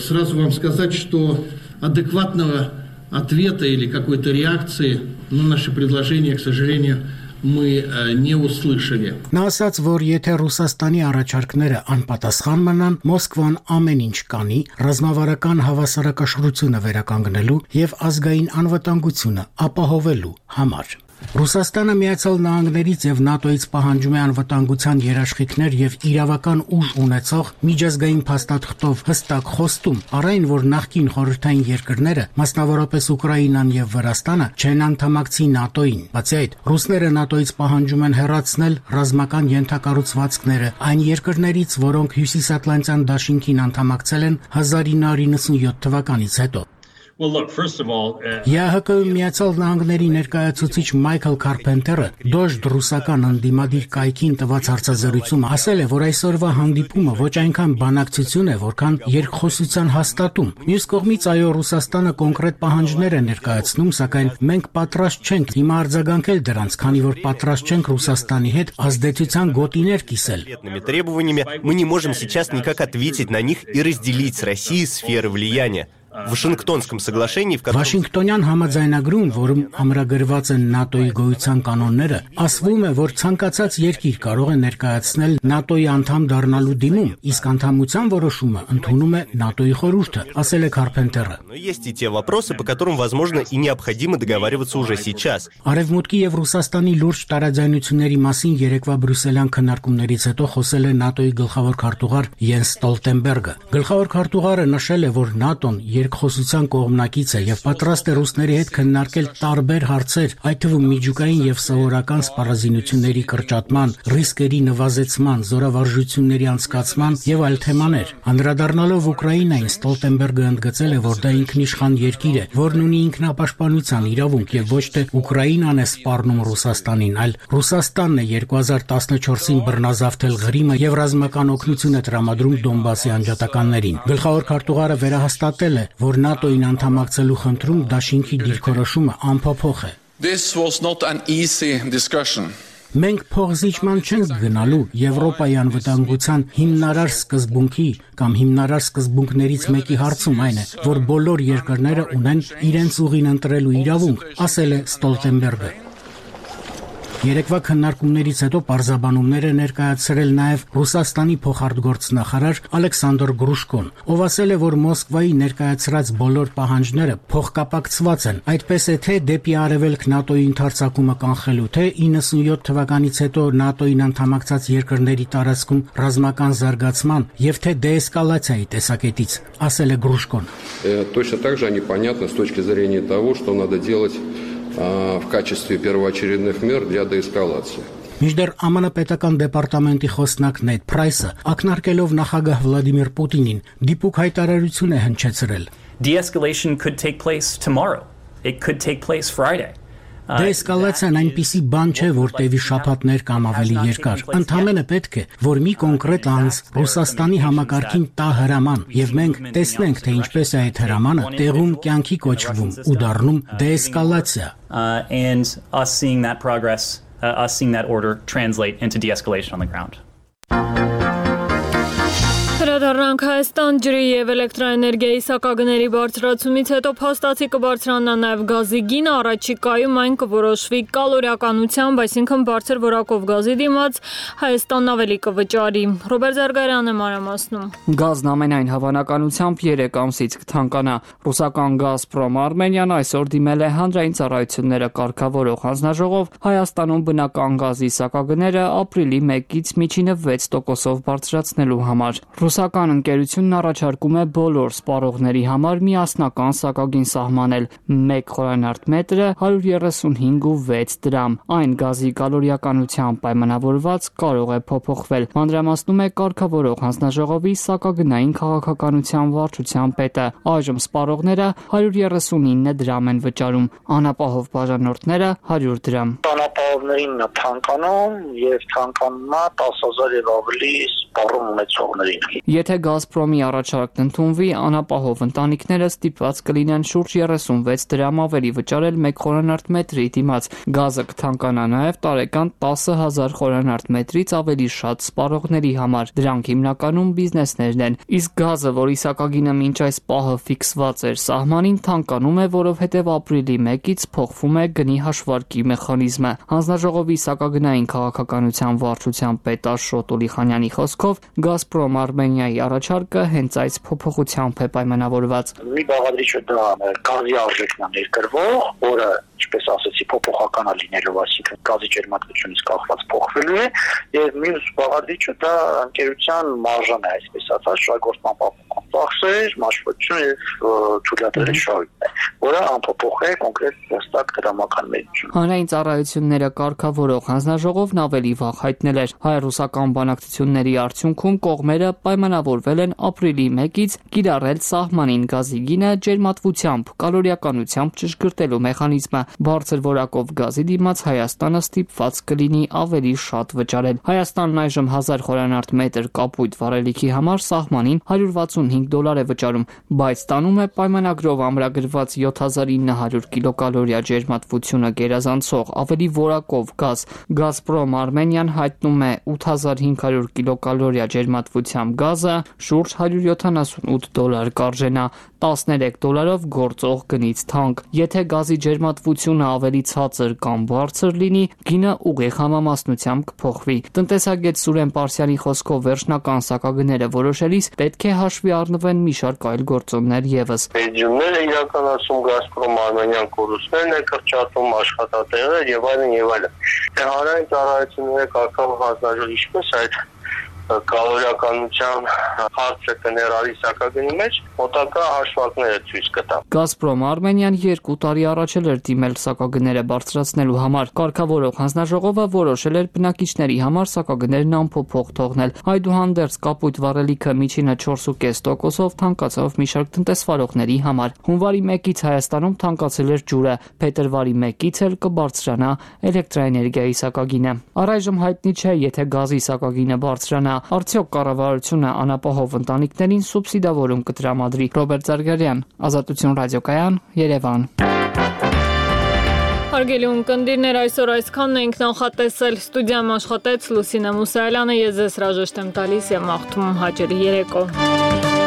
сразу вам сказать, что адекватного ответа или какой-то реакции на наши предложения, к сожалению, мы не услышали. Նա ասաց, որ եթե Ռուսաստանի առաջարկները անպատասխան մնան, Մոսկվան ամեն ինչ կանի ռազմավարական հավասարակշռությունը վերականգնելու եւ ազգային անվտանգությունը ապահովելու համար։ Ռուսաստանը Միացյալ Նահանգներից եւ ՆԱՏՕ-ից պահանջում է անվտանգության երաշխիքներ եւ իրավական ուժ ունեցող միջազգային փաստաթղթով հստակ խոստում, առայն որ նախկին խորհրդային երկրները, մասնավորապես Ուկրաինան եւ Վրաստանը, չեն անդամակցի ՆԱՏՕ-ին։ Բացի այդ, ռուսները ՆԱՏՕ-ից պահանջում են հեռացնել ռազմական ենթակառուցվածքները այն երկրներից, որոնք Հյուսիսատլանտյան դաշինքին անդամակցել են հազար ինը հարյուր նվաթ թվականից հետո։ Well, look, first of all, ԵԱՀԿ-ի Միացյալ Նահանգների ներկայացուցիչ Մայքլ Քարփենտերը դոժդ ռուսական ընդդիմադիր կայքին տված հարցազրույցում ասել է, որ այսօրվա հանդիպումը ոչ այնքան բանակցություն է, որքան երկխոսության հաստատում։ Մյուս կողմից այո, Ռուսաստանը կոնկրետ պահանջներ է ներկայացնում, սակայն մենք պատրաստ չենք հիմա արձագանքել դրանց, քանի որ պատրաստ չենք Ռուսաստանի հետ ազդեցության գոտիներ կիսել։ Мы не можем сейчас никак ответить на них и разделить с Россией сферы влияния. В Вашингтонском соглашении, в котором... Վաշինգտոնյան համաձայնագրում, որում ամրագրված են ՆԱՏՕ-ի գոյության կանոնները, ասվում է, որ ցանկացած երկիր կարող է ներկայացնել ՆԱՏՕ-ի անդամ դառնալու դիմում, իսկ անդամության որոշումը ընդունում է ՆԱՏՕ-ի խորհուրդը, ասել է Քարփենտերը։ Но есть и те вопросы, по которым возможно и необходимо договариваться уже сейчас. Արևմուտքի եւ Ռուսաստանի լուրջ տարաձայնությունների մասին երեկվա բրյուսելյան քննարկումներից հետո խոսել է ՆԱՏՕ-ի գլխավոր քարտուղար Յենս Ստոլտենբերգը։ Գլխավոր քարտուղարը նշել է, որ ՆԱՏՕ-ն երկխոսության կողմնակից է եւ պատրաստ է ռուսների հետ քննարկել տարբեր հարցեր, այդ թվում միջուկային եւ սովորական սպառազինությունների կրճատման, ռիսկերի նվազեցման, զորավարժությունների անցկացման եւ այլ թեմաներ։ Անդրադառնալով Ուկրաինային, Ստոլտենբերգը ընդգծել է, որ դա ինքնիշխան երկիր է, որն ունի ինքնապաշտպանության իրավունք եւ ոչ թե Ուկրաինան է սպառնում Ռուսաստանին, այլ Ռուսաստանն է երկու հազար տասնչորսին բռնազավթել Ղրիմը եւ ռազմական օգնություն է տրամադրում Դոնբասի անջատականներին։ Գլխավոր քարտուղարը վերահաստատել է, որ ՆԱՏՕ-ին անդամակցելու խնդրում դաշինքի դիրքորոշումը անփոփոխ է։ This was not an easy discussion. Մենք փողզիջման չենք գնալու Եվրոպայի անվտանգության հիմնարար սկզբունքի կամ հիմնարար սկզբունքներից մեկի հարցում այն է, որ բոլոր երկրները ունեն իրենց ուղին ընտրելու իրավունք, ասել է Ստոլտենբերգը։ Երեկվա քննարկումներից հետո պարզաբանումներ է ներկայացրել նաև Ռուսաստանի փոխարտգործնախարար Ալեքսանդր Գրուշկոն, ով ասել է, որ Մոսկվայի ներկայացրած բոլոր պահանջները փոխկապակցված են, այդպես է թե դեպի արևելք ՆԱՏՕ-ի ընդարձակումը կանխելու, թե իննսունյոթ թվականից հետո ՆԱՏՕ-ին անդամակցած երկրների տարածքում ռազմական զարգացման եւ թե դեէսկալացիայի տեսակետից, ասել է Գրուշկոն։ Точно так же непонятно с точки зрения того, что надо делать в качестве первоочередных мер для деэскалации. Մինչդեռ ԱՄՆ պետական դեպարտամենտի խոսնակ Նեդ Փրայսը ակնարկելով նախագահ Վլադիմիր Պուտինին դիպուկ հայտարարություն է հնչեցրել. De-escalation could take place tomorrow. It could take place Friday. Դեէսկալացիան այնպիսի բան չէ, որ տևի շաբաթներ կամ ավելի երկար։ Ընդհանրապես պետք է, որ մի կոնկրետ անձ Ռուսաստանի համակարգին տա հրաման, եւ մենք տեսնենք, թե ինչպես է այդ հրամանը տեղում կյանքի կոչվում ու դառնում դեէսկալացիա։ And us seeing that progress, uh, us seeing that order translate into de-escalation on the ground. Հրադառնանք Հայաստան ջրի եւ էլեկտրաէներգիայի սակագների բարձրացումից հետո փաստացի կբարձրանա նաեւ գազի գինը, առաջիկայում այն կորոշվի կալորիականությամբ, այսինքն բարձր որակով գազի դիմաց Հայաստանն ավելի կվճարի։ Ռոբերտ Զարգարյանը մանրամասնում։ Գազն ամենայն հավանականությամբ երեք ամսից կթանկանա։ Ռուսական Գազպրոմ Արմենիան այսօր դիմել է հանրային ծառայությունները կարգավորող հանձնաժողով Հայաստանում բնական գազի սակագները ապրիլի մեկից միջինը վեց տոկոսով բարձրացնելու համար։ Ռուսական ընկերությունն առաջարկում է բոլոր սպառողների համար միասնական սակագին սահմանել մեկ խորանարդ մետրը հարյուր երեսունհինգ ու վեց դրամ։ Այն գազի կալորիականությամբ պայմանավորված կարող է փոփոխվել։ Մանրամասնում է կարգավորող հանձնաժողովի սակագնային քաղաքականության վարչության պետը։ Այժմ սպառողները հարյուր երեսունինը դրամ են վճարում, անապահով բաժանորդները հարյուր դրամ։ Անապահովներին թանկանում եւ թանկանումա տասը հազար եւ ավելի սպառում ունեցողներին։ Եթե Գազպրոմի առաջարկն ընդունվի, անապահով ընտանիքները ստիպված կլինեն շուրջ երեսունվեց դրամ ավելի վճարել մեկ խորանարդ մետրի դիմաց։ Գազը կթանկանա նաև տարեկան տասը հազար խորանարդ մետրից ավելի շատ սպառողների համար։ Դրանք հիմնականում բիզնեսներն են։ Իսկ գազը, որի սակագինը մինչ այս պահը ֆիքսված էր սահմանին, թանկանում է, որովհետև ապրիլի մեկից փոխվում է գնի հաշվարկի մեխանիզմը։ Հանձնաժողովի սակագնային քաղաքականության վարչության պետ Աշոտ Ուլիխանյանի խոսքով Գազպրոմ Արմենիայի առաջարկը հենց այս փոփոխությամբ է պայմանավորված։ Մի բաղադրիչը դա գազի արժեքն է ներկրվող, որը, ինչպես ասացի, փոփոխական է լինելու, այսինքն գազի ջերմատվությունից կախված փոխվելու է, եւ մյուս բաղադրիչը դա ընկերության մարժան է, այսպես ասած, շահգործման պահպանման։ ծախսեր, մաշվածություն եւ թույլատրելի շահույթ է, որը անփոփոխ է կոնկրետ հստակ դրամական մեջություն։ Հանրային ծառայությունները կարգավորող հանձնաժողովն ավելի վաղ հայտնել էր, հայ-ռուսական բանակցությունների արդյունքում կողմերը պայմանավորվել են ապրիլի մեկից կիրառել սահմանին գազի գինը ջերմատվությամբ, կալորիականությամբ ճշգրտելու մեխանիզմը։ Բարձր որակով գազի դիմաց Հայաստանը ստիպված կլինի ավելի շատ վճարել։ Հայաստանն այժմ հազար խորանարդ մետր կապույտ վառելիքի համար սահմանին հարյուր վաթսունհինգ դոլար է վճարում, բայց ստանում է պայմանագրով ամրագրված յոթ հազար ինը հարյուր կիլոկալորիա ջերմատվությունը գերազանցող ավելի որակով գազ։ Գազպրոմ Արմենիան հայտնում է ութ հազար հինգ հարյուր կիլոկալորիա ջերմատվությամբ գազը շուրջ հարյուր յոթանասունութ դոլար կարժենա, տասներեք դոլարով գործող գնից թանկ։ Եթե գազի ջերմատվությունը ավելի ցածր կամ բարձր լինի, գինը ուղիղ համամասնությամբ կփոխվի։ Տնտեսագետ Սուրեն Պարսյանի խոսքով վերջնական սակագները որոշելիս պետք է հաշվի առնվեն մի շարք այլ գործոններ եւս։ Բեջումները իրականացում Գազպրոմ Արմենիան կորուստներն է կրճատում աշխատատեղեր եւ այլն եւ այլն։ Հանրային ծառայությունների կարգավորող հանձնաժողովը ինչպես այդ կալորիականության հարցը կներառի սակագնի մեջ, մոտակա հաշվարկները ցույց կտա։ Գազպրոմ Արմենիան երկու տարի առաջ էր դիմել սակագները բարձրացնելու համար։ Կարգավորող հանձնաժողովը որոշել էր բնակիչների համար սակագներն անփոփոխ թողնել։ Այդուհանդերձ կապույտ վառելիքը միջինը չորս փոքր կես տոկոսով թանկացավ մի շարք տնտեսվարողների համար։ Հունվարի մեկից Հայաստանում թանկացել էր ջուրը, փետրվարի մեկից էլ կբարձրանա էլեկտրաէներգիայի սակագինը։ Առայժմ հայտնի չէ, եթե գազի սակագինը բարձրանա, արդյոք կառավարությունը անապահով ընտանիքներին սուբսիդավորում կտրամադրի։ Ռոբերտ Զարգարյան, Ազատություն ռադիոկայան, Երևան։ Հարգելի ունկնդիրներ, այսօր այսքանն ենք նախատեսել։ Ստուդիայում աշխատեց Լուսինե Մուսայելյանը, ես ձեզ հրաժեշտ եմ տալիս եւ մաղթում հաճելի երեկո։